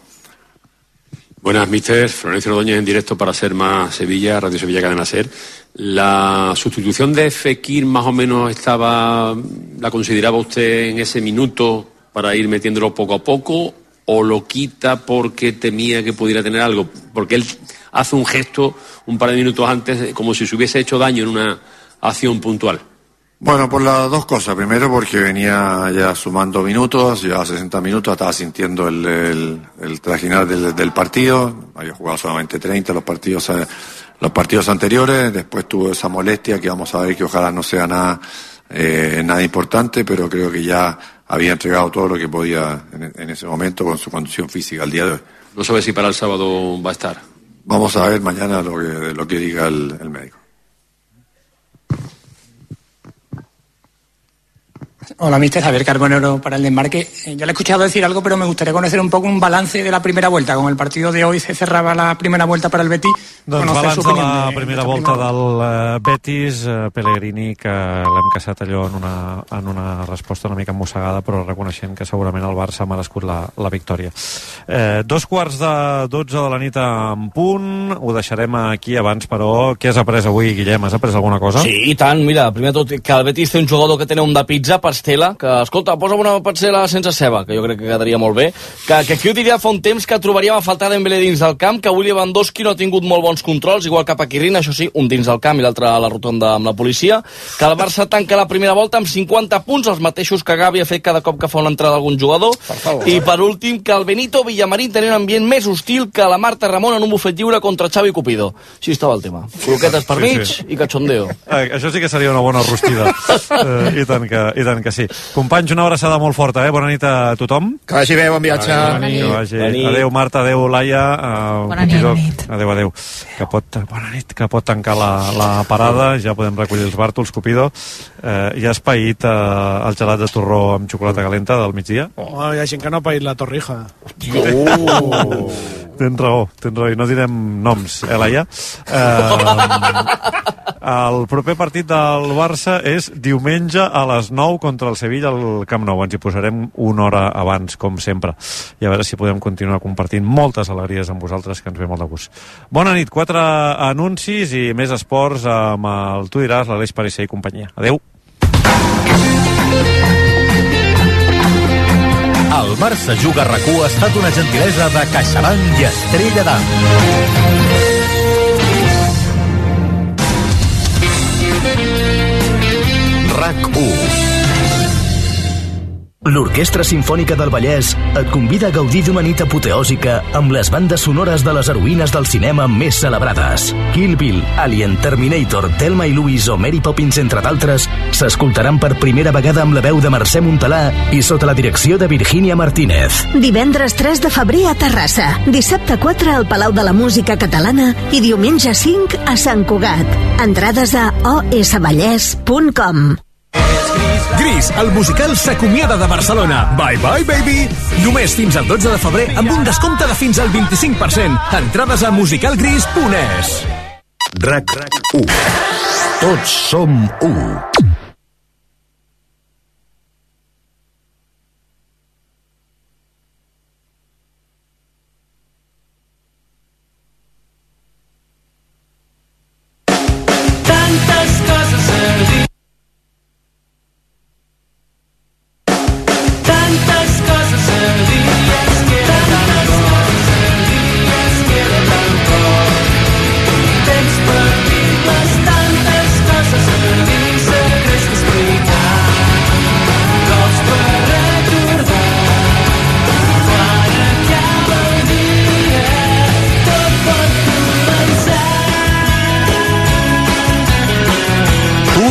[SPEAKER 5] Buenas, mister. Florencio Ordóñez en directo para Ser Más Sevilla, Radio Sevilla Cadena Ser. ¿La sustitución de Fekir más o menos la consideraba usted en ese minuto para ir metiéndolo poco a poco, o lo quita porque temía que pudiera tener algo? Porque él hace un gesto un par de minutos antes como si se hubiese hecho daño en una acción puntual.
[SPEAKER 1] Bueno, por las dos cosas. Primero, porque venía ya sumando minutos, ya 60 minutos, estaba sintiendo el trajinar del partido. Había jugado solamente 30 los partidos anteriores. Después tuvo esa molestia que vamos a ver, que ojalá no sea nada importante, pero creo que ya había entregado todo lo que podía en ese momento con su condición física al día de hoy.
[SPEAKER 5] No sabe si para el sábado va a estar.
[SPEAKER 1] Vamos a ver mañana lo que diga el médico.
[SPEAKER 7] Hola, mister. Javier Carbonero para el Desmarque. Yo le he escuchado decir algo, pero me gustaría conocer un poco un balance de la primera vuelta. Con el partido de hoy se cerraba la primera vuelta para el Betis.
[SPEAKER 4] Doncs balanç de la primera volta del Betis, Pellegrini, que l'hem caçat allò en una resposta una mica mossegada, però reconeixent que segurament el Barça ha merescut la victòria. 2:15 de la nit en punt, ho deixarem aquí abans, però què has après avui, Guillem? Has après alguna cosa?
[SPEAKER 8] Sí, i tant, mira, primer tot que el Betis té un jugador que té un de pizza, pastela, que, escolta, posa'm una pastela sense ceba, que jo crec que quedaria molt bé, que aquí ho diria fa un temps que trobaríem a faltar Dembélé dins del camp, que avui Lewandowski no ha tingut molt bons controls, igual que Paquirrin, això sí, un dins del camp i l'altre a la rotonda amb la policia, que el Barça tanca la primera volta amb 50 punts, els mateixos que Gavi ha fet cada cop que fa una entrada d'algun jugador, i per últim que el Benito Villamarín tenia un ambient més hostil que la Marta Ramon en un bufet lliure contra Xavi Cupido. Així estava el tema. Croquetes per mig i cachondeo.
[SPEAKER 4] Això sí que seria una bona rostida. I tant que sí. Companys, una abraçada molt forta, Bona nit a tothom.
[SPEAKER 6] Que vagi bé, bon viatge.
[SPEAKER 4] Adéu, Marta, adéu, Laia.
[SPEAKER 24] Bona nit.
[SPEAKER 4] Adéu. Que pot tancar la parada, ja podem recollir els bàrtols, Cupido. Ja has paït el gelat de torró amb xocolata calenta del migdia?
[SPEAKER 23] Hi ha gent que no ha paït la torrija.
[SPEAKER 4] Tens raó, i no direm noms, Laia? El proper partit del Barça és diumenge a les 9 contra el Sevilla al Camp Nou. Ens hi posarem una hora abans, com sempre, i a veure si podem continuar compartint moltes alegries amb vosaltres, que ens ve molt de gust. Bona nit, 4 anuncis i més esports amb el Tu diràs, l'Aleix Parisser i companyia. Adéu.
[SPEAKER 26] El Barça Juga RAC1 ha estat una gentilesa de CaixaBank i Estrella d'Am. RAC1. L'Orquestra Simfònica del Vallès et convida a gaudir d'una nit apoteòsica amb les bandes sonores de les heroïnes del cinema més celebrades. Kill Bill, Alien, Terminator, Thelma i Louise o Mary Poppins, entre d'altres, s'escoltaran per primera vegada amb la veu de Mercè Montalà i sota la direcció de Virgínia Martínez.
[SPEAKER 9] Divendres 3 de febrer a Terrassa, dissabte 4 al Palau de la Música Catalana i diumenge 5 a Sant Cugat. Entrades a osvallès.com.
[SPEAKER 10] Gris, el musical s'acomiada de Barcelona. Bye bye baby. Només fins al 12 de febrer amb un descompte de fins al 25%. Entrades a musicalgris.es.
[SPEAKER 26] RAC1. Tots som 1.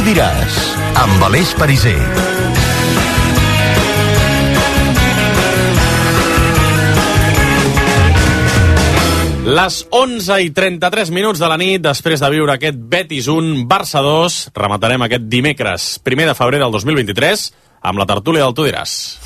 [SPEAKER 26] Diràs, amb Aleix Parisser.
[SPEAKER 11] Les 11:33 de la nit, després de viure aquest Betis 1, Barça 2, rematarem aquest dimecres, 1 de febrer del 2023, amb la tertúlia del Tu diràs.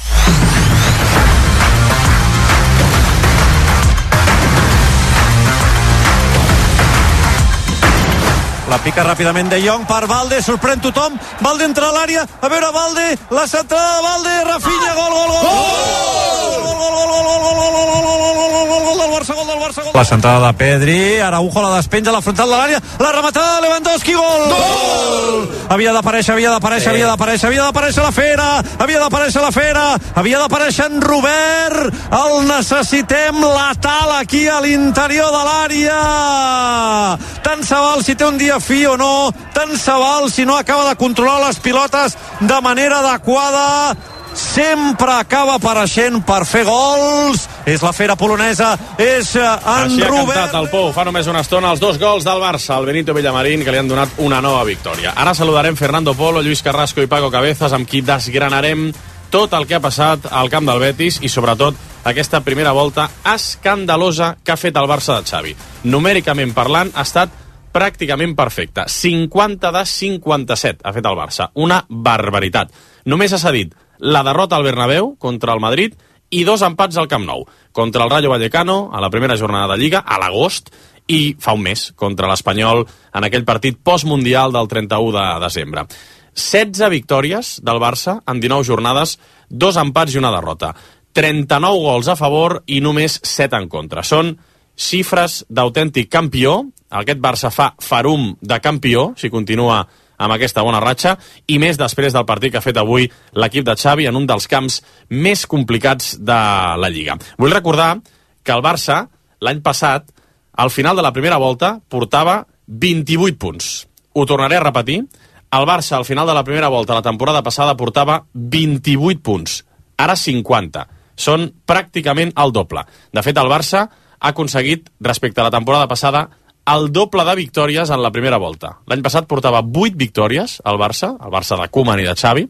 [SPEAKER 4] la pica ràpidament De Jong per Valde, sorprèn tothom, Valde entra a l'àrea, a veure Valde, la centrada de Valde, Rafinha, gol del Barça, gol del Barça. La centrada de Pedri, Araujo la despenja a la frontal de l'àrea, la rematada de Lewandowski, gol! Havia d'aparèixer la Fera, havia d'aparèixer en Robert, el necessitem letal aquí a l'interior de l'àrea. Tant se val si té un dia fi o no, tant se val si no acaba de controlar les pilotes de manera adequada, sempre acaba apareixent per fer gols. És la Fera polonesa, és en
[SPEAKER 11] Així ha
[SPEAKER 4] Robert.
[SPEAKER 11] cantat el Pou fa només una estona els 2 gols del Barça, el Benito Villamarín, que li han donat una nova victòria. Ara saludarem Fernando Polo, Lluís Carrasco i Paco Cabezas, amb qui desgranarem tot el que ha passat al camp del Betis i sobretot aquesta primera volta escandalosa que ha fet el Barça de Xavi. Numèricament parlant, ha estat pràcticament perfecte. 50 de 57 ha fet el Barça. Una barbaritat. Només ha cedit la derrota al Bernabéu contra el Madrid i 2 empats al Camp Nou. Contra el Rayo Vallecano, a la primera jornada de Lliga, a l'agost, i fa un mes, contra l'Espanyol, en aquell partit postmundial del 31 de desembre. 16 victòries del Barça en 19 jornades, 2 empats i una derrota. 39 gols a favor i només 7 en contra. Són xifres d'autèntic campió. Aquest Barça fa farum de campió, si continua amb aquesta bona ratxa, i més després del partit que ha fet avui l'equip de Xavi en un dels camps més complicats de la Lliga. Vull recordar que el Barça, l'any passat, al final de la primera volta, portava 28 punts. Ho tornaré a repetir. El Barça, al final de la primera volta, la temporada passada, portava 28 punts. Ara 50. Són pràcticament el doble. De fet, el Barça ha aconseguit, respecte a la temporada passada, el doble de victòries en la primera volta. L'any passat portava 8 victòries el Barça de Koeman i de Xavi,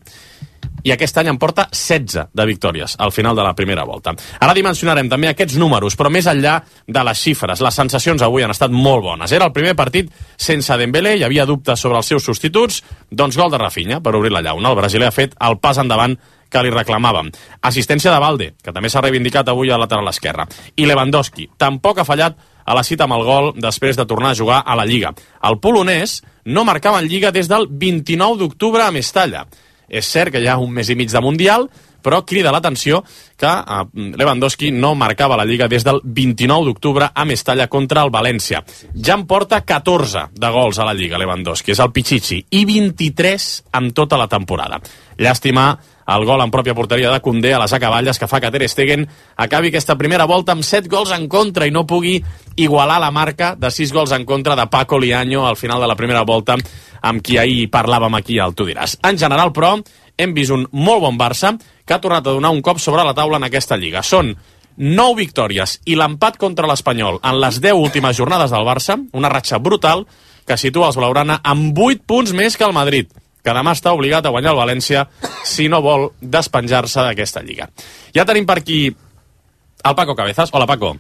[SPEAKER 11] i aquest any en porta 16 de victòries al final de la primera volta. Ara dimensionarem també aquests números, però més enllà de les xifres. Les sensacions avui han estat molt bones. Era el primer partit sense Dembélé, hi havia dubtes sobre els seus substituts, doncs gol de Rafinha per obrir la llauna. El brasiler ha fet el pas endavant que li reclamàvem. Assistència de Valde, que també s'ha reivindicat avui al lateral esquerre. I Lewandowski, tampoc ha fallat a la cita amb el gol després de tornar a jugar a la Lliga. El polonès no marcava en Lliga des del 29 d'octubre a Mestalla. És cert que hi ha un mes i mig de Mundial, però crida l'atenció que Lewandowski no marcava la Lliga des del 29 d'octubre a Mestalla contra el València. Ja en porta 14 de gols a la Lliga, Lewandowski, és el Pichichi, i 23 en tota la temporada. Llàstima el gol en pròpia porteria de Koundé a les acaballes que fa que Ter Stegen acabi aquesta primera volta amb 7 gols en contra i no pugui igualar la marca de 6 gols en contra de Paco Liaño al final de la primera volta, amb qui ahir parlàvem aquí al Tu diràs. En general, però, hem vist un molt bon Barça que ha tornat a donar un cop sobre la taula en aquesta Lliga. Són 9 victòries i l'empat contra l'Espanyol en les 10 últimes jornades del Barça, una ratxa brutal que situa els blaugrana amb 8 punts més que el Madrid, que demà està obligat a guanyar el València si no vol despenjar-se d'aquesta Lliga. Ja tenim per aquí el Paco Cabezas. Hola, Paco.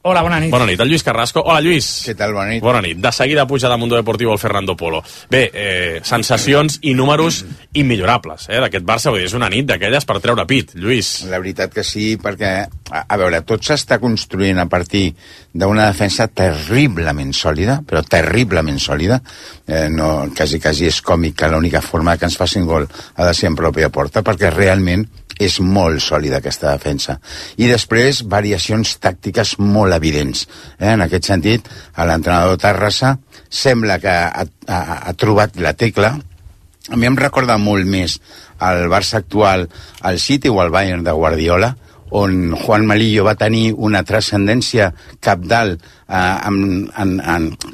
[SPEAKER 7] Hola, bona nit.
[SPEAKER 11] Bona nit. El Lluís Carrasco. Hola, Lluís.
[SPEAKER 12] Què tal, bona nit?
[SPEAKER 11] Bona nit. De seguida puja de Mundo Deportivo el Fernando Polo. Bé, sensacions i números immillorables, d'aquest Barça. Vull dir, és una nit d'aquelles per treure pit, Lluís.
[SPEAKER 12] La veritat que sí, perquè, a veure, tot s'està construint a partir d'una defensa terriblement sòlida, però terriblement sòlida. No, quasi és còmic que l'única forma que ens facin gol ha de ser en pròpia porta, perquè realment és molt sòlida aquesta defensa. I després, variacions tàctiques molt evidents. En aquest sentit, l'entrenador Tarrasa sembla que ha trobat la tecla. A mi em recorda molt més el Barça actual, el City o el Bayern de Guardiola, on Juan Malillo va tenir una transcendència cabdal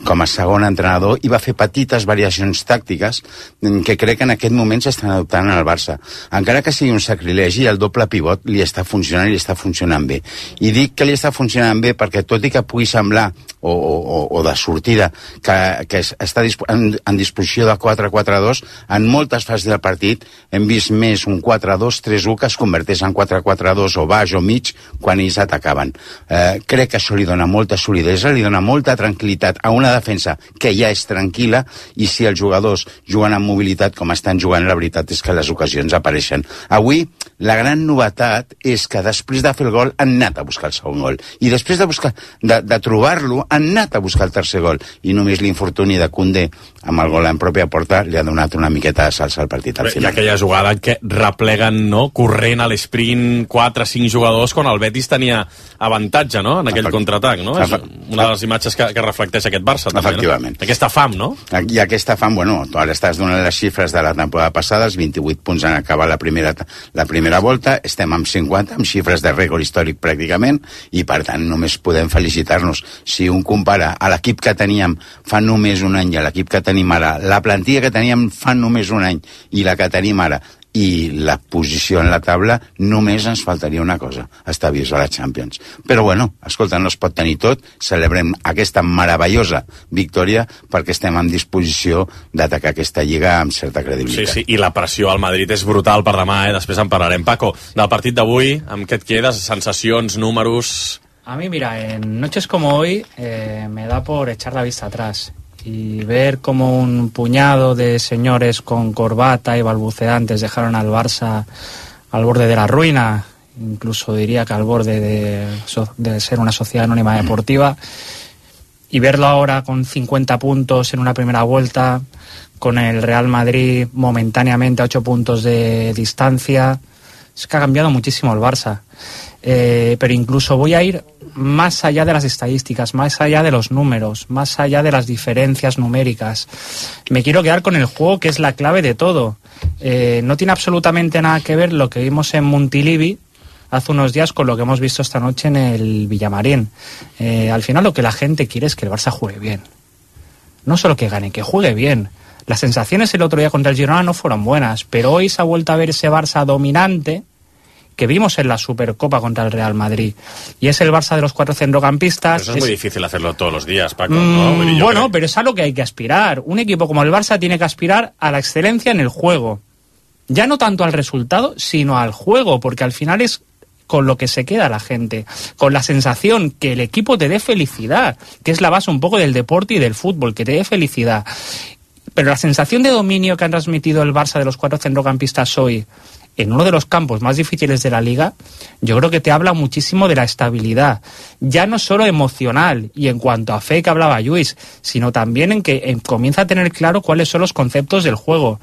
[SPEAKER 12] com a segon entrenador i va fer petites variacions tàctiques que crec que en aquest moment s'estan adoptant al Barça. Encara que sigui un sacrilegi, el doble pivot li està funcionant i li està funcionant bé. I dic que li està funcionant bé perquè tot i que pugui semblar o de sortida que està en disposició de 4-4-2, en moltes fases del partit hem vist més un 4-2-3-1 que es converteix en 4-4-2 o baix o mig quan ells atacaven. Crec que això li dona molta solidesa solidesa, li dona molta tranquil·litat a una defensa que ja és tranquil·la, i si els jugadors juguen amb mobilitat com estan jugant, la veritat és que les ocasions apareixen. Avui, la gran novetat és que després de fer el gol han anat a buscar el segon gol, i després de trobar-lo han anat a buscar el tercer gol, i només l'infortuni de Koundé amb el gol en pròpia porta li ha donat una miqueta de salsa al partit al final.
[SPEAKER 11] Hi ha aquella jugada que repleguen, no?, corrent a l'esprint 4-5 jugadors quan el Betis tenia avantatge, no?, en aquell contraatac, no? És una de les imatges que reflecteix aquest Barça, també,
[SPEAKER 12] efectivament,
[SPEAKER 11] no? Aquesta fam, no?
[SPEAKER 12] I aquesta fam, bueno, tu ara estàs donant les xifres de la temporada passada, els 28 punts en acabar la primera volta, estem amb 50, amb xifres de rècord històric pràcticament, i per tant només podem felicitar-nos. Si un compara a l'equip que teníem fa només un any i a l'equip que tenim ara, la plantilla que teníem fa només un any i la que tenim ara, i la posició en la taula, només ens faltaria una cosa, estar vius a la Champions. Però bueno, escolta, no es pot tenir tot, celebrem aquesta meravellosa victòria perquè estem en disposició d'atacar aquesta lliga amb certa credibilitat.
[SPEAKER 11] Sí, i la pressió al Madrid és brutal per demà, després en parlarem. Paco, del partit d'avui, amb què et quedes? Sensacions, números...
[SPEAKER 7] A mí, mira, en noches como hoy me da por echar la vista atrás y ver cómo un puñado de señores con corbata y balbuceantes dejaron al Barça al borde de la ruina, incluso diría que al borde de ser una sociedad anónima deportiva, y verlo ahora con 50 puntos en una primera vuelta, con el Real Madrid momentáneamente a 8 puntos de distancia. Es que ha cambiado muchísimo el Barça. Pero incluso voy a ir más allá de las estadísticas, más allá de los números, más allá de las diferencias numéricas. Me quiero quedar con el juego, que es la clave de todo. No tiene absolutamente nada que ver lo que vimos en Montilivi hace unos días con lo que hemos visto esta noche en el Villamarín. Al final lo que la gente quiere es que el Barça juegue bien. No solo que gane, que juegue bien. Las sensaciones el otro día contra el Girona no fueron buenas, pero hoy se ha vuelto a ver ese Barça dominante que vimos en la Supercopa contra el Real Madrid. Y es el Barça de los 4 centrocampistas.
[SPEAKER 11] Pero eso es muy difícil hacerlo todos los días, Paco, ¿no?
[SPEAKER 7] Bueno, pero es a lo que hay que aspirar. Un equipo como el Barça tiene que aspirar a la excelencia en el juego. Ya no tanto al resultado, sino al juego, porque al final es con lo que se queda la gente, con la sensación que el equipo te dé felicidad, que es la base un poco del deporte y del fútbol, que te dé felicidad. Pero la sensación de dominio que han transmitido el Barça de los 4 centrocampistas hoy en uno de los campos más difíciles de la Liga, yo creo que te habla muchísimo de la estabilidad, ya no solo emocional y en cuanto a fe que hablaba Lluís, sino también en que comienza a tener claro cuáles son los conceptos del juego.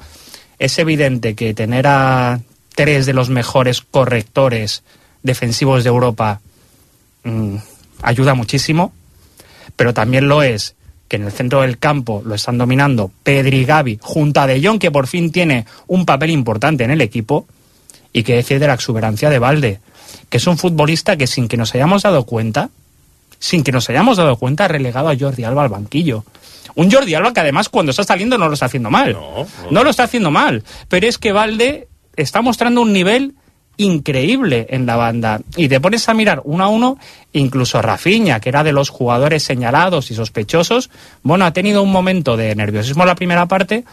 [SPEAKER 7] Es evidente que tener a 3 de los mejores correctores defensivos de Europa ayuda muchísimo, pero también lo es que en el centro del campo lo están dominando Pedri y Gavi, junto a De Jong, que por fin tiene un papel importante en el equipo. Y qué decir de la exuberancia de Balde, que es un futbolista que sin que nos hayamos dado cuenta, ha relegado a Jordi Alba al banquillo. Un Jordi Alba que además cuando está saliendo no lo está haciendo mal. No lo está haciendo mal. Pero es que Balde está mostrando un nivel increíble en la banda. Y te pones a mirar uno a uno, incluso Rafinha, que era de los jugadores señalados y sospechosos, bueno, ha tenido un momento de nerviosismo en la primera parte,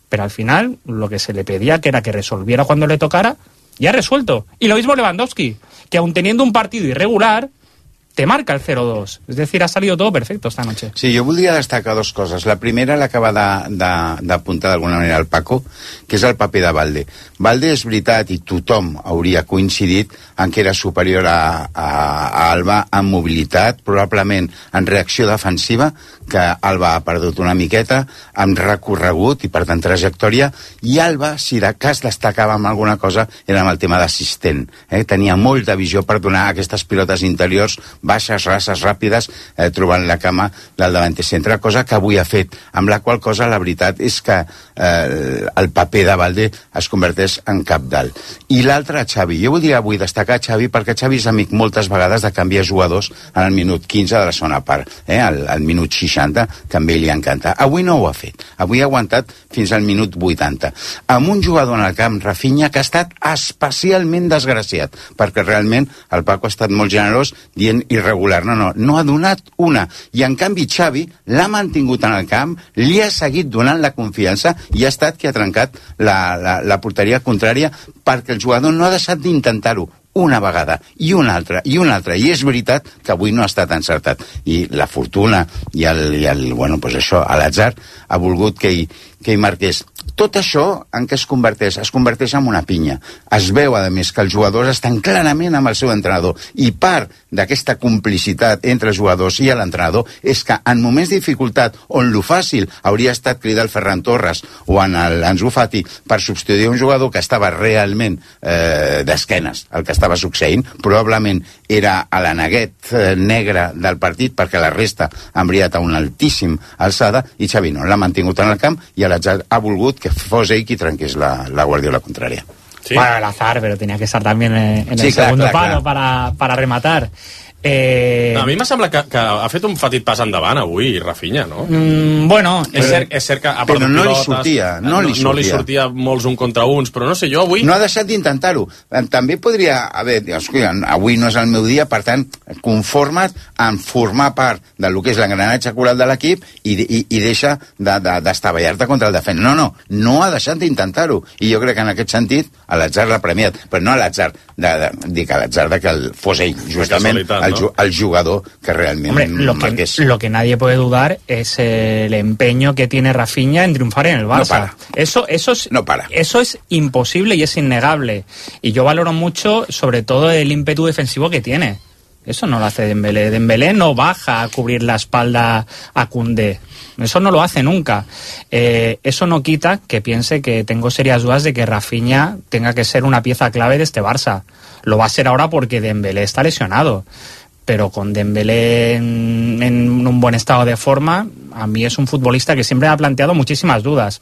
[SPEAKER 7] pero al final lo que se le pedía, que era que resolviera cuando le tocara, ya ha resuelto. Y lo mismo Lewandowski, que aun teniendo un partido irregular, te marca el 0-2. Es decir, ha salido todo perfecto esta noche.
[SPEAKER 12] Sí, jo voldria destacar 2 coses. La primera l'acaba d'apuntar d'alguna manera el Paco, que és el paper de Balde. Balde és veritat, i tothom hauria coincidit en que era superior a Alba en mobilitat, probablement en reacció defensiva, que Alba ha perdut una miqueta, amb recorregut i per tant trajectòria, i Alba, si de cas destacava amb alguna cosa, era amb el tema d'assistent. Tenia molta visió per donar aquestes pilotes interiors baixes, rases, ràpides, trobant la cama del davanter centre, cosa que avui ha fet, amb la qual cosa la veritat és que el paper de Balde es converteix en cabdal. I l'altre, Xavi. Jo voldria avui destacar Xavi perquè Xavi és amic moltes vegades de canviar jugadors en el minut 15 de la segona part, al minut 60, que a ell li encanta. Avui no ho ha fet. Avui ha aguantat fins al minut 80. Amb un jugador en el camp, Rafinha, que ha estat especialment desgraciat, perquè realment el Paco ha estat molt generós dient irregular, no ha donat una, i en canvi Xavi l'ha mantingut en el camp, li ha seguit donant la confiança i ha estat qui ha trencat la porteria contrària perquè el jugador no ha deixat d'intentar-ho una vegada i una altra, i és veritat que avui no ha estat encertat, i la fortuna i l'atzar ha volgut que hi marqués. Tot això en què es converteix? Es converteix en una pinya. Es veu, a més, que els jugadors estan clarament amb el seu entrenador, i part d'aquesta complicitat entre els jugadors i l'entrenador és que en moments de dificultat, on lo fàcil hauria estat cridar el Ferran Torres o en l'Ansu Fati per substituir un jugador que estava realment d'esquenes el que estava succeint, probablement era a la neguet negra del partit, perquè la resta han brillat a una altíssima alçada, i Xavi no l'ha mantingut en el camp, i l'atzar ha volgut que fos ell qui trenqués la Guardiola contrària.
[SPEAKER 7] Sí. Bueno, el azar, pero tenía que estar también en el segundo palo para rematar.
[SPEAKER 11] A mi m'ha semblat que ha fet un petit pas endavant avui Rafinha, no?
[SPEAKER 7] Bueno,
[SPEAKER 11] és cert que ha perdut pilotes, no li sortia molts un contra uns, però no sé, jo avui...
[SPEAKER 12] No ha deixat d'intentar-ho. També podria haver... Avui no és el meu dia, per tant, conforma't en formar part del que és l'engranatge coral de l'equip i deixa d'estavellar-te contra el defensa. No ha deixat d'intentar-ho. I jo crec que en aquest sentit l'atzar l'ha premiat, però no l'atzar dic a l'atzar que fos ell, justament el jugador que realmente...
[SPEAKER 7] Hombre, lo que nadie puede dudar es el empeño que tiene Rafinha en triunfar en el Barça. Eso es imposible y es innegable. Y yo valoro mucho, sobre todo, el ímpetu defensivo que tiene. Eso no lo hace Dembélé. Dembélé no baja a cubrir la espalda a Koundé. Eso no lo hace nunca. Eso no quita que piense que tengo serias dudas de que Rafinha tenga que ser una pieza clave de este Barça. Lo va a ser ahora porque Dembélé está lesionado. Pero con Dembélé en un buen estado de forma, a mí es un futbolista que siempre ha planteado muchísimas dudas,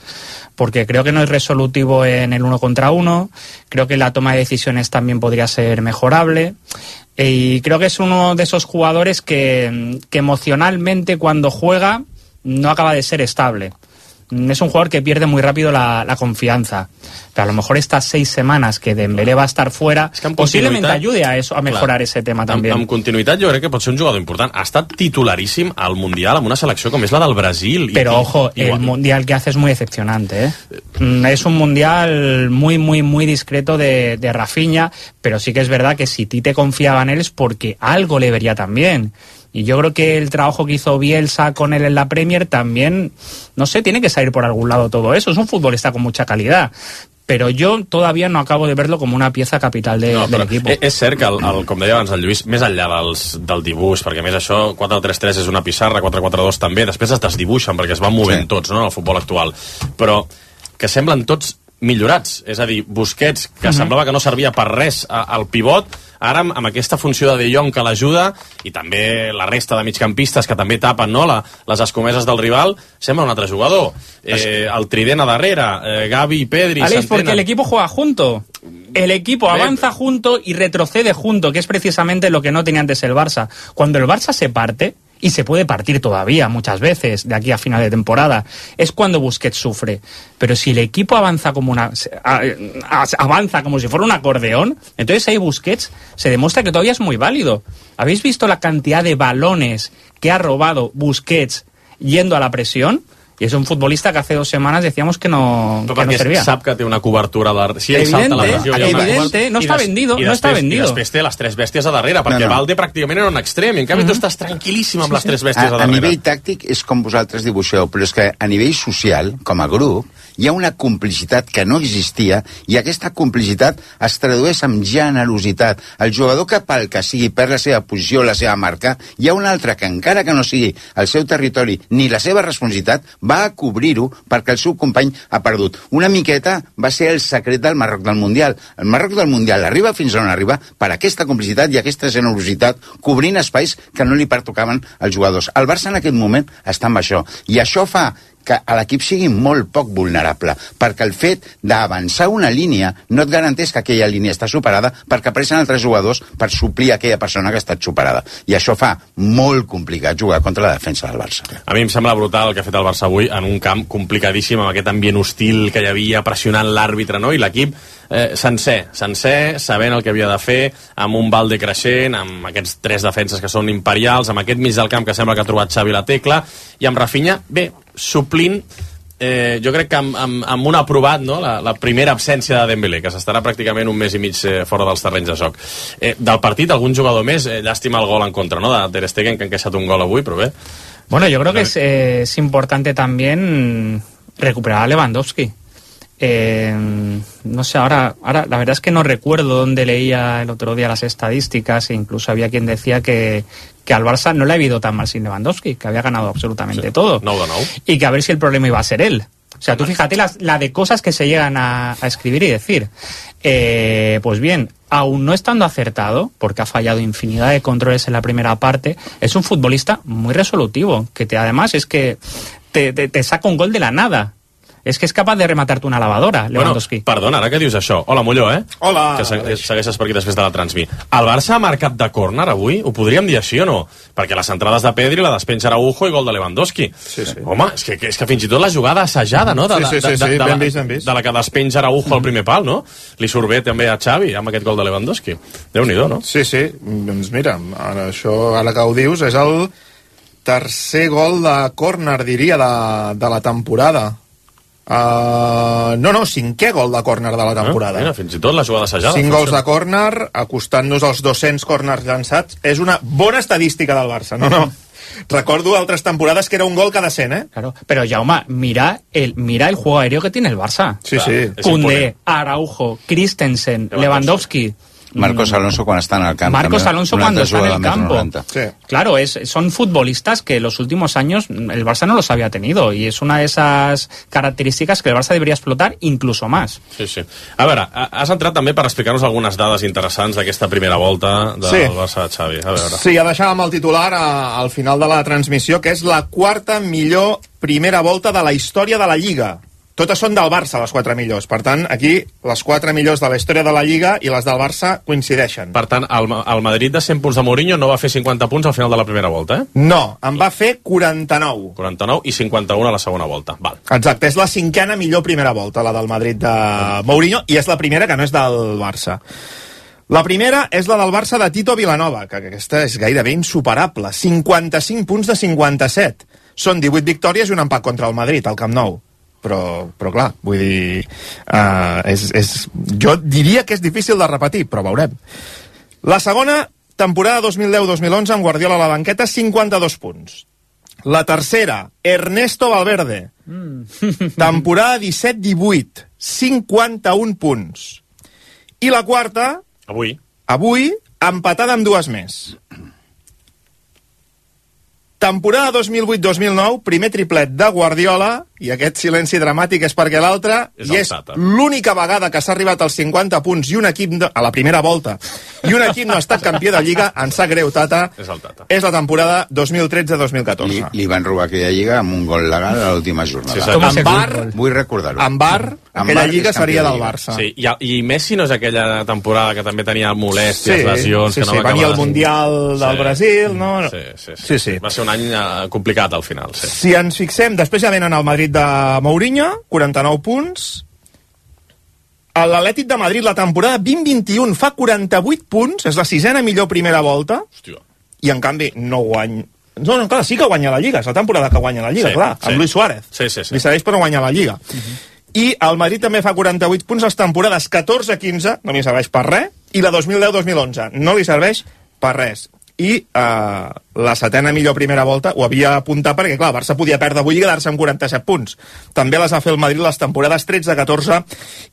[SPEAKER 7] porque creo que no es resolutivo en el 1 contra 1, creo que la toma de decisiones también podría ser mejorable, y creo que es uno de esos jugadores que emocionalmente cuando juega no acaba de ser estable. Es un jugador que pierde muy rápido la confianza. Pero a lo mejor estas 6 semanas que Dembélé va a estar fuera, posiblemente ayude a eso, a mejorar ese tema també.
[SPEAKER 11] Amb continuïtat jo crec que pot ser un jugador important. Ha estat titularíssim al Mundial amb una selecció com és la del Brasil.
[SPEAKER 7] Pero ojo, el Mundial que hace es muy decepcionante, ¿eh? Es un Mundial muy, muy, muy discreto de Rafinha, pero sí que es verdad que si Tite confiaba en él es porque algo le vería también. Y yo creo que el trabajo que hizo Bielsa con él en la Premier también, no sé, tiene que salir por algún lado todo eso. Es un futbolista con mucha calidad. Però jo todavía no acabo de verlo com una pieza capital de l'equip.
[SPEAKER 11] És cert que, com deia abans el Lluís, més enllà del dibuix, perquè més això, 4-3-3 és una pissarra, 4-4-2 també, després es desdibuixen perquè es van movent tots, no?, en el futbol actual. Però que semblen tots millorats, és a dir, Busquets, que semblava que no servia per res al pivot, ara amb aquesta funció de Jong que l'ajuda, i també la resta de migcampistes que també tapen, no?, les escomeses del rival, sembla un altre jugador. El trident a darrere, Gavi, Pedri,
[SPEAKER 7] Alex, porque el equipo juega junto. El equipo avanza junto y retrocede junto, que es precisamente lo que no tenía antes el Barça. Cuando el Barça se parte, y se puede partir todavía muchas veces de aquí a final de temporada, es cuando Busquets sufre. Pero si el equipo avanza como si fuera un acordeón, entonces ahí Busquets se demuestra que todavía es muy válido. ¿Habéis visto la cantidad de balones que ha robado Busquets yendo a la presión? Y es un futbolista que hace 2 semanas decíamos que no servía.
[SPEAKER 11] Sap que té una cobertura de... Si
[SPEAKER 7] evidente, no està vendido.
[SPEAKER 11] I després té les 3 bèsties a darrere, perquè Valde pràcticament era un extrem, i en canvi tu estàs tranquil·líssim amb les 3 bèsties a darrere.
[SPEAKER 12] A nivell tàctic és com vosaltres dibuixeu, però és que a nivell social, com a grup, hi ha una complicitat que no existia, i aquesta complicitat es tradueix amb generositat. El jugador que pel que sigui perd la seva posició, la seva marca, hi ha un altre que encara que no sigui el seu territori ni la seva responsabilitat, va a cobrir-ho perquè el seu company ha perdut. Una miqueta va ser el secret del Marroc del Mundial. El Marroc del Mundial arriba fins on arriba per aquesta complicitat i aquesta generositat, cobrint espais que no li pertocaven als jugadors. El Barça en aquest moment està amb això, i això fa que l'equip sigui molt poc vulnerable, perquè el fet d'avançar una línia no et garanteix que aquella línia està superada, perquè apareixen altres jugadors per suplir aquella persona que ha estat superada. I això fa molt complicat jugar contra la defensa del Barça.
[SPEAKER 11] A mi em sembla brutal el que ha fet el Barça avui en un camp complicadíssim, amb aquest ambient hostil que hi havia pressionant l'àrbitre, no? I l'equip sencer, sabent el que havia de fer, amb un Valde creixent, amb aquests 3 defenses que són imperials, amb aquest mig del camp que sembla que ha trobat Xavi la tecla, i amb Rafinha, bé, suplint jo crec que amb un aprovat, no? La primera absència de Dembélé, que s'estarà pràcticament un mes i mig fora dels terrenys de joc. Del partit, algun jugador més, llàstima el gol en contra, ¿no? De Ter Stegen, que ha encaixat un gol avui, però bé.
[SPEAKER 7] Bueno, yo creo que es importante también recuperar a Lewandowski. No sé, ahora la verdad es que no recuerdo dónde leía el otro día las estadísticas, e incluso había quien decía que al Barça no le ha ido tan mal sin Lewandowski, que había ganado absolutamente todo.
[SPEAKER 11] No.
[SPEAKER 7] Y que a ver si el problema iba a ser él. O sea, tú fíjate la de cosas que se llegan a escribir y decir. Pues bien, aún no estando acertado, porque ha fallado infinidad de controles en la primera parte, es un futbolista muy resolutivo, que además es que te saca un gol de la nada. És que és capaç de rematar-te una lavadora, Lewandowski.
[SPEAKER 11] Bueno, perdona, ara que dius això. Hola, Molló,
[SPEAKER 23] Hola.
[SPEAKER 11] Que segueixes per aquí després de la transmi. El Barça ha marcat de córner avui? Ho podríem dir així o no? Perquè les entrades de Pedri, la despenja Araujo i gol de Lewandowski.
[SPEAKER 23] Sí.
[SPEAKER 11] Home, és que fins i tot la jugada assajada, no?
[SPEAKER 23] Sí, ben vist.
[SPEAKER 11] De la que despenja Araujo al primer pal, no? Li surt bé també a Xavi amb aquest gol de Lewandowski. Déu-n'hi-do, no?
[SPEAKER 13] Sí. Doncs mira, ara que ho dius, és el tercer gol de córner, diria, de la temporada. Cinquè gol de córner de la temporada.
[SPEAKER 11] Mira, fins i tot la jugada assajada.
[SPEAKER 13] 5 gols de córner, acostant-nos als 200 córners llançats. És una bona estadística del Barça. No. Recordo altres temporades que era un gol cada 100,
[SPEAKER 7] Claro, pero Jaume, mira el juego aéreo que tiene el Barça.
[SPEAKER 13] Sí.
[SPEAKER 7] Koundé, Araujo, Christensen, Lewandowski.
[SPEAKER 12] Marcos Alonso cuando está en el campo.
[SPEAKER 7] Marcos Alonso cuando está en el campo.
[SPEAKER 13] Sí.
[SPEAKER 7] Claro, son futbolistas que los últimos años el Barça no los había tenido, y es una de esas características que el Barça debería explotar incluso más.
[SPEAKER 11] Sí. A veure, has entrat també per explicar-nos algunes dades interessants d'aquesta primera volta del Barça de Xavi. A veure.
[SPEAKER 13] Sí, ja deixàvem el titular al final de la transmissió, que és la quarta millor primera volta de la història de la Lliga. Totes són del Barça, les 4 millors. Per tant, aquí, les 4 millors de la història de la Lliga i les del Barça coincideixen.
[SPEAKER 11] Per tant, el Madrid de 100 punts de Mourinho no va fer 50 punts al final de la primera volta,
[SPEAKER 13] No, en va fer 49.
[SPEAKER 11] 49 i 51 a la segona volta. Val.
[SPEAKER 13] Exacte, és la 5a millor primera volta, la del Madrid de Mourinho, i és la primera que no és del Barça. La primera és la del Barça de Tito Vilanova, que aquesta és gairebé insuperable. 55 punts de 57. Són 18 victòries i un empat contra el Madrid, al Camp Nou. Però clar, vull dir, jo diria que és difícil de repetir, però veurem. La segona, temporada 2010-2011, amb Guardiola a la banqueta, 52 punts. La tercera, Ernesto Valverde, temporada 17-18, 51 punts. I la quarta, avui empatada amb 2 més. Temporada 2008-2009, primer triplet de Guardiola, i aquest silenci dramàtic és perquè l'altre, i és l'única vegada que s'ha arribat als 50 punts i un equip a la primera volta, i un equip no ha estat campió de Lliga, en sap greu, Tata, és la temporada 2013-2014.
[SPEAKER 12] Li van robar aquella Lliga amb un gol legal a l'última jornada.
[SPEAKER 13] En VAR,
[SPEAKER 12] vull recordar-ho.
[SPEAKER 13] En VAR, aquella Lliga seria del Barça.
[SPEAKER 11] Sí, i Messi no és aquella temporada que també tenia molèsties, lesions...
[SPEAKER 13] Sí, venia el Mundial del Brasil, no?
[SPEAKER 11] Sí. Va ser un any complicat al final.
[SPEAKER 13] Si ens fixem, després ja venen al Madrid de Mourinho, 49 punts. L'Atlètic de Madrid, la temporada 2021, fa 48 punts, és la 6a millor primera volta.
[SPEAKER 11] Hòstia.
[SPEAKER 13] I en canvi no guanya... No, clar, sí que guanya la Lliga, és la temporada que guanya la Lliga, clar, amb Luis Suárez.
[SPEAKER 11] Sí.
[SPEAKER 13] Li serveix per guanyar la Lliga. I el Madrid també fa 48 punts les temporades 14-15, no li serveix per res, i la 2010-2011 no li serveix per res. I la 7a millor primera volta ho havia apuntat perquè, clar, el Barça podia perdre avui i quedar-se amb 47 punts. També les va fer el Madrid les temporades 13-14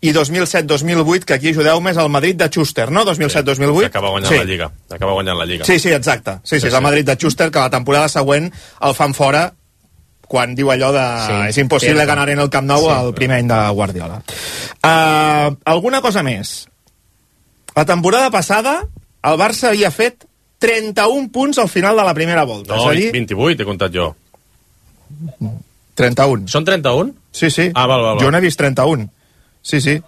[SPEAKER 13] i 2007-2008, que aquí ajudeu-me, és el Madrid de Schuster, no? 2007-2008.
[SPEAKER 11] Que acaba guanyant la Lliga. Acaba guanyant la Lliga.
[SPEAKER 13] Sí, exacte. Sí, és el Madrid de Schuster, que la temporada següent el fan fora quan diu allò de és impossible ganar en el Camp Nou el primer any de Guardiola. Alguna cosa més. La temporada passada el Barça havia fet 31 punts al final de la primera volta.
[SPEAKER 11] No, 28 he comptat jo.
[SPEAKER 13] 31.
[SPEAKER 11] Són 31?
[SPEAKER 13] Sí.
[SPEAKER 11] Val.
[SPEAKER 13] Jo n'he vist 31. Sí.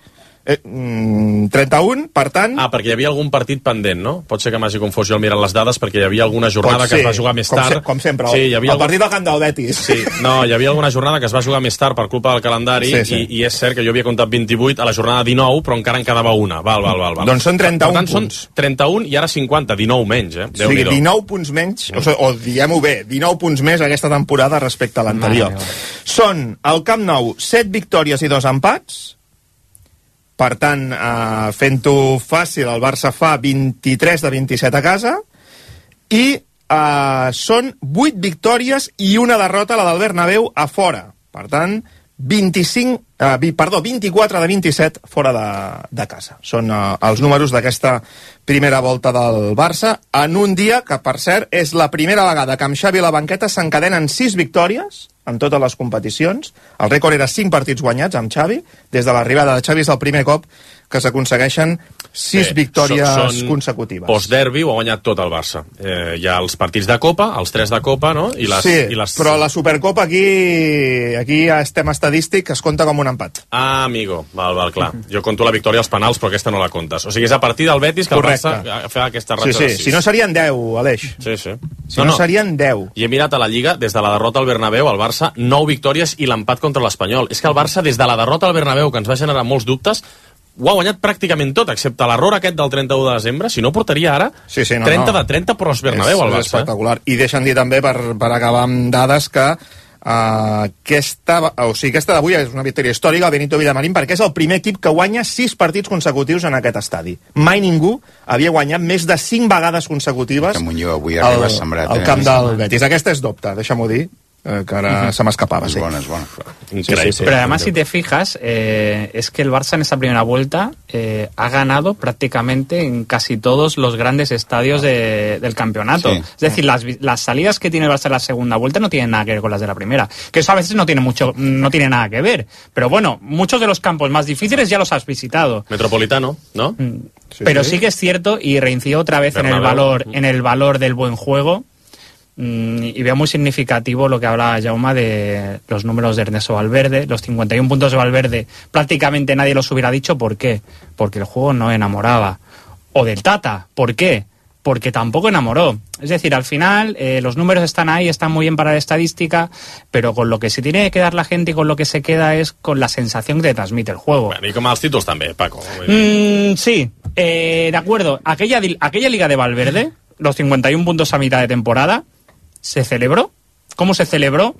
[SPEAKER 13] 31, per tant...
[SPEAKER 11] perquè hi havia algun partit pendent, no? Pot ser que m'hagi confós jo al mirar les dades, perquè hi havia alguna jornada que es va jugar més tard.
[SPEAKER 13] Com sempre,
[SPEAKER 11] sí,
[SPEAKER 13] el partit del Camp del Betis.
[SPEAKER 11] Sí, no, hi havia alguna jornada que es va jugar més tard per culpa del calendari, i és cert que jo havia comptat 28 a la jornada 19, però encara en quedava una. Val.
[SPEAKER 13] Doncs són 31 punts.
[SPEAKER 11] Són 31 i ara 50, 19 menys,
[SPEAKER 13] Sí, 19 punts menys, o diguem-ho bé, 19 punts més aquesta temporada respecte a l'anterior. Són al Camp Nou 7 victòries i 2 empats. Per tant, fent-ho fàcil, el Barça fa 23 de 27 a casa. I són 8 victòries i una derrota, la del Bernabéu, a fora. Per tant, 24 de 27 fora de casa. Són els números d'aquesta primera volta del Barça, en un dia que, per cert, és la primera vegada que amb Xavi a la banqueta s'encadenen 6 victòries en totes les competicions. El rècord era 5 partits guanyats amb Xavi. Des de l'arribada de Xavi és el primer cop que s'aconsegueixen 6 victòries consecutives.
[SPEAKER 11] Post-derbi ho ha guanyat tot el Barça. Hi ha els partits de Copa, els 3 de Copa, no?
[SPEAKER 13] Però la Supercopa aquí ja estem estadístic, es compta com un empat.
[SPEAKER 11] Ah, amigo, val, clar. Jo conto la victòria als penals, però aquesta no la comptes. O sigui, és a partir del Betis que el Barça fa aquesta ratxa de 6.
[SPEAKER 13] Si no serien 10, Aleix.
[SPEAKER 11] Sí.
[SPEAKER 13] Si no serien 10.
[SPEAKER 11] I he mirat a la Lliga, des de la derrota al Bernabéu, el Barça 9 victòries i l'empat contra l'Espanyol. És que el Barça, des de la derrota al Bernabéu, que ens va generar molts dubtes, ho ha guanyat pràcticament tot, excepte l'error aquest del 31 de desembre. Si no, portaria ara 30 de 30 pros Bernabéu al Barça.
[SPEAKER 13] És espectacular. I deixa'm dir també, per acabar amb dades, que aquesta d'avui és una victòria històrica al Benito Villamarín, perquè és el primer equip que guanya 6 partits consecutius en aquest estadi. Mai ningú havia guanyat més de 5 vegades consecutives al camp del Betis. Aquesta és dubte, deixa'm-ho dir, que ara se m'escapaba.
[SPEAKER 12] Es buena.
[SPEAKER 7] Sí. Pero además, si te fijas, es que el Barça en esa primera vuelta ha ganado prácticamente en casi todos los grandes estadios del campeonato. Sí. Es decir, las salidas que tiene el Barça en la segunda vuelta no tienen nada que ver con las de la primera. Que eso a veces no tiene nada que ver. Pero bueno, muchos de los campos más difíciles ya los has visitado.
[SPEAKER 11] Metropolitano, ¿no?
[SPEAKER 7] Pero sí que es cierto, y reincido otra vez en el valor del buen juego. Y veo muy significativo lo que habla Jaume de los números de Ernesto Valverde, los 51 puntos de Valverde. Prácticamente nadie los hubiera dicho. ¿Por qué? Porque el juego no enamoraba. O del Tata. ¿Por qué? Porque tampoco enamoró. Es decir, al final los números están ahí, están muy bien para la estadística, pero con lo que se tiene que quedar la gente y con lo que se queda es con la sensación que te transmite el juego.
[SPEAKER 11] Bueno, y con más títulos también, Paco.
[SPEAKER 7] Sí, de acuerdo. Aquella liga de Valverde, los 51 puntos a mitad de temporada, ¿se celebró? ¿Cómo se celebró?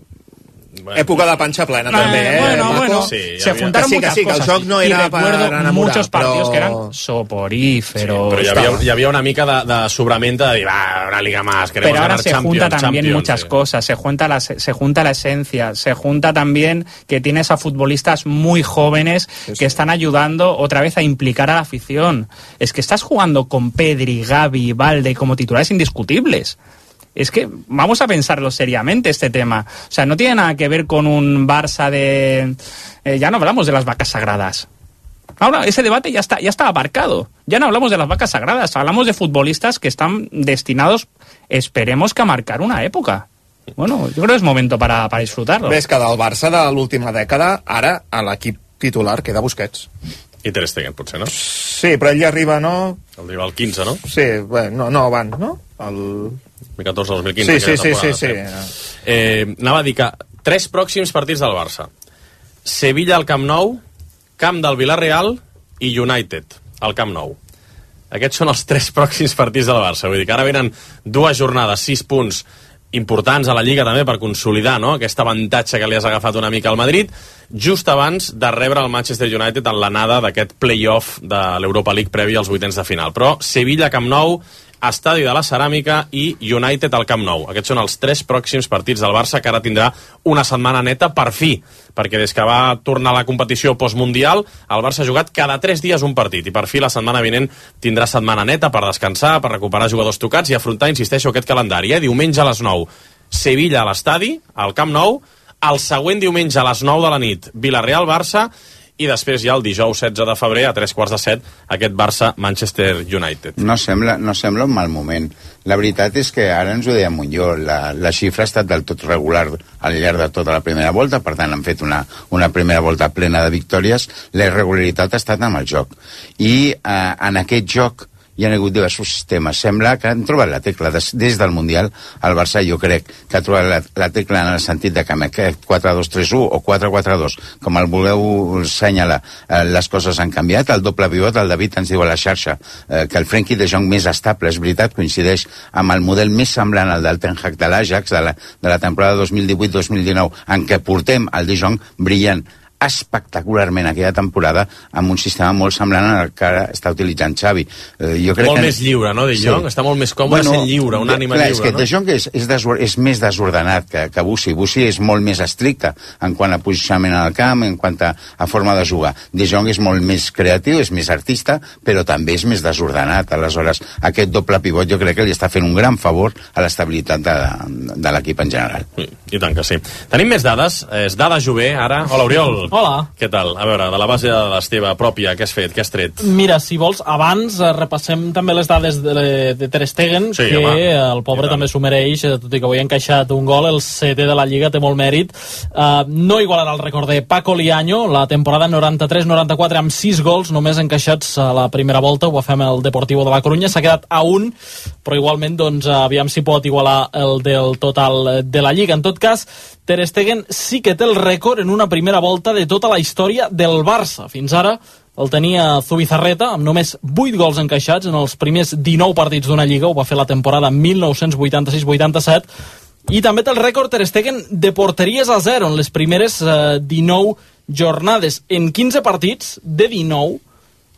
[SPEAKER 13] Època de panxa plena, també,
[SPEAKER 7] Bueno, se juntaron muchas cosas.
[SPEAKER 13] El joc no era
[SPEAKER 7] y recuerdo muchos partidos que eran soporíferos.
[SPEAKER 11] Però hi havia una mica de sobramenta de dir, una liga más, queremos
[SPEAKER 7] pero ahora
[SPEAKER 11] ganar
[SPEAKER 7] se junta también muchas cosas, se junta la esencia, se junta también que tienes a futbolistas muy jóvenes que están ayudando otra vez a implicar a la afición. Es que estás jugando con Pedri, Gavi, Valde como titulares indiscutibles. Es que vamos a pensarlo seriamente este tema. O sea, no tiene nada que ver con un Barça de... ya no hablamos de las vacas sagradas. Ahora, ese debate ya está aparcado. Ya no hablamos de las vacas sagradas. Hablamos de futbolistas que están destinados, esperemos que a marcar una època. Bueno, yo creo que es momento para disfrutarlo.
[SPEAKER 13] Ves que del Barça de l'última dècada, ara a l'equip titular queda Busquets.
[SPEAKER 11] I Ter Stegen, potser, no?
[SPEAKER 13] Sí, però ell ja arriba, no?
[SPEAKER 11] Arriba al 15, no?
[SPEAKER 13] Sí, bueno, no abans, no? El
[SPEAKER 11] 2014-2015.
[SPEAKER 13] Sí.
[SPEAKER 11] Anava a dir que 3 pròxims partits del Barça. Sevilla al Camp Nou, Camp del Villarreal i United al Camp Nou. Aquests són els 3 pròxims partits del Barça. Vull dir que ara venen 2 jornades, 6 punts importants a la Lliga també per consolidar, no?, aquest avantatge que li has agafat una mica al Madrid, just abans de rebre el Manchester United en l'anada d'aquest play-off de l'Europa League previ als 8ens de final. Però Sevilla, Camp Nou, Estadi de la Ceràmica i United al Camp Nou. Aquests són els 3 pròxims partits del Barça, que ara tindrà una setmana neta per fi, perquè des que va tornar a la competició postmundial, el Barça ha jugat cada 3 dies un partit, i per fi la setmana vinent tindrà setmana neta per descansar, per recuperar jugadors tocats i afrontar, insisteixo, aquest calendari. Diumenge a les 9, Sevilla a l'Estadi, al Camp Nou, el següent diumenge a les 9 de la nit, Villarreal-Barça, i després ja el dijous 16 de febrer a 3:15, aquest Barça-Manchester United.
[SPEAKER 12] No sembla un mal moment. La veritat és que ara ens ho deia Montlló, la xifra ha estat del tot regular al llarg de tota la primera volta, per tant han fet una primera volta plena de victòries. La irregularitat ha estat amb el joc. I en aquest joc hi ha hagut diversos sistemes. Sembla que han trobat la tecla. Des del Mundial, el Barça jo crec que ha trobat la tecla en el sentit de que amb aquest 4-2-3-1 o 4-4-2, com el voleu assenyalar, les coses han canviat. El doble pivot, el David ens diu a la xarxa que el Frenkie de Jong més estable, és veritat, coincideix amb el model més semblant al del Ten Hag de l'Ajax de la temporada 2018-2019, en què portem el de Jong brillant espectacularment aquella temporada amb un sistema molt semblant al que ara està utilitzant Xavi. Jo crec
[SPEAKER 11] molt més lliure, no, De Jong? Està molt més còmode sent lliure, un ànima lliure,
[SPEAKER 12] és que De Jong és més desordenat que Bussi. Bussi és molt més estricte en quant a posicionament al camp, en quant a forma de jugar. De Jong és molt més creatiu, és més artista, però també és més desordenat. Aleshores, aquest doble pivot jo crec que li està fent un gran favor a l'estabilitat de l'equip en general.
[SPEAKER 11] I tant que sí. Tenim més dades. És Dada Jové, ara. Hola, Oriol.
[SPEAKER 15] Hola.
[SPEAKER 11] Què tal? A veure, de la base de la teva pròpia, què has fet? Què has tret?
[SPEAKER 15] Mira, si vols, abans repassem també les dades de Ter Stegen, sí, que home, el pobre també s'ho mereix, tot i que avui ha encaixat un gol, el 7è de la Lliga, té molt mèrit. No igualarà el rècord de Paco Liaño, la temporada 93-94 amb 6 gols només encaixats a la primera volta, ho va fer amb el Deportivo de la Coruña, s'ha quedat a 1, però igualment, doncs, aviam si pot igualar el del total de la Lliga. En tot cas, Ter Stegen sí que té el rècord en una primera volta de tota la història del Barça. Fins ara el tenia Zubizarreta, amb només 8 gols encaixats en els primers 19 partits d'una Lliga, ho va fer la temporada 1986-87, i també té el rècord Ter Stegen de porteries a 0 en les primeres 19 jornades. En 15 partits de 19,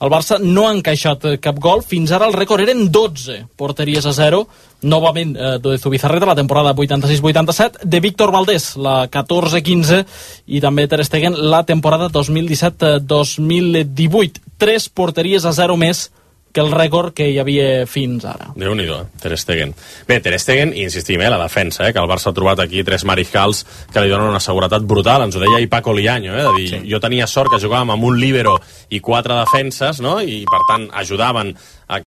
[SPEAKER 15] el Barça no ha encaixat cap gol. Fins ara el rècord eren 12 porteries a 0, novament de Zubizarreta la temporada 86-87, de Víctor Valdés la 14-15 i també Ter Stegen la temporada 2017-2018. 3 porteries a 0 més que el rècord que hi havia fins ara.
[SPEAKER 11] Déu-n'hi-do, Ter Stegen. Bé, Ter Stegen, insistim, la defensa, que el Barça ha trobat aquí 3 mariscals que li donen una seguretat brutal. Ens ho deia ahir Paco Liaño, de dir, sí, jo tenia sort que jugàvem amb un líbero i 4 defenses, no? I per tant ajudaven a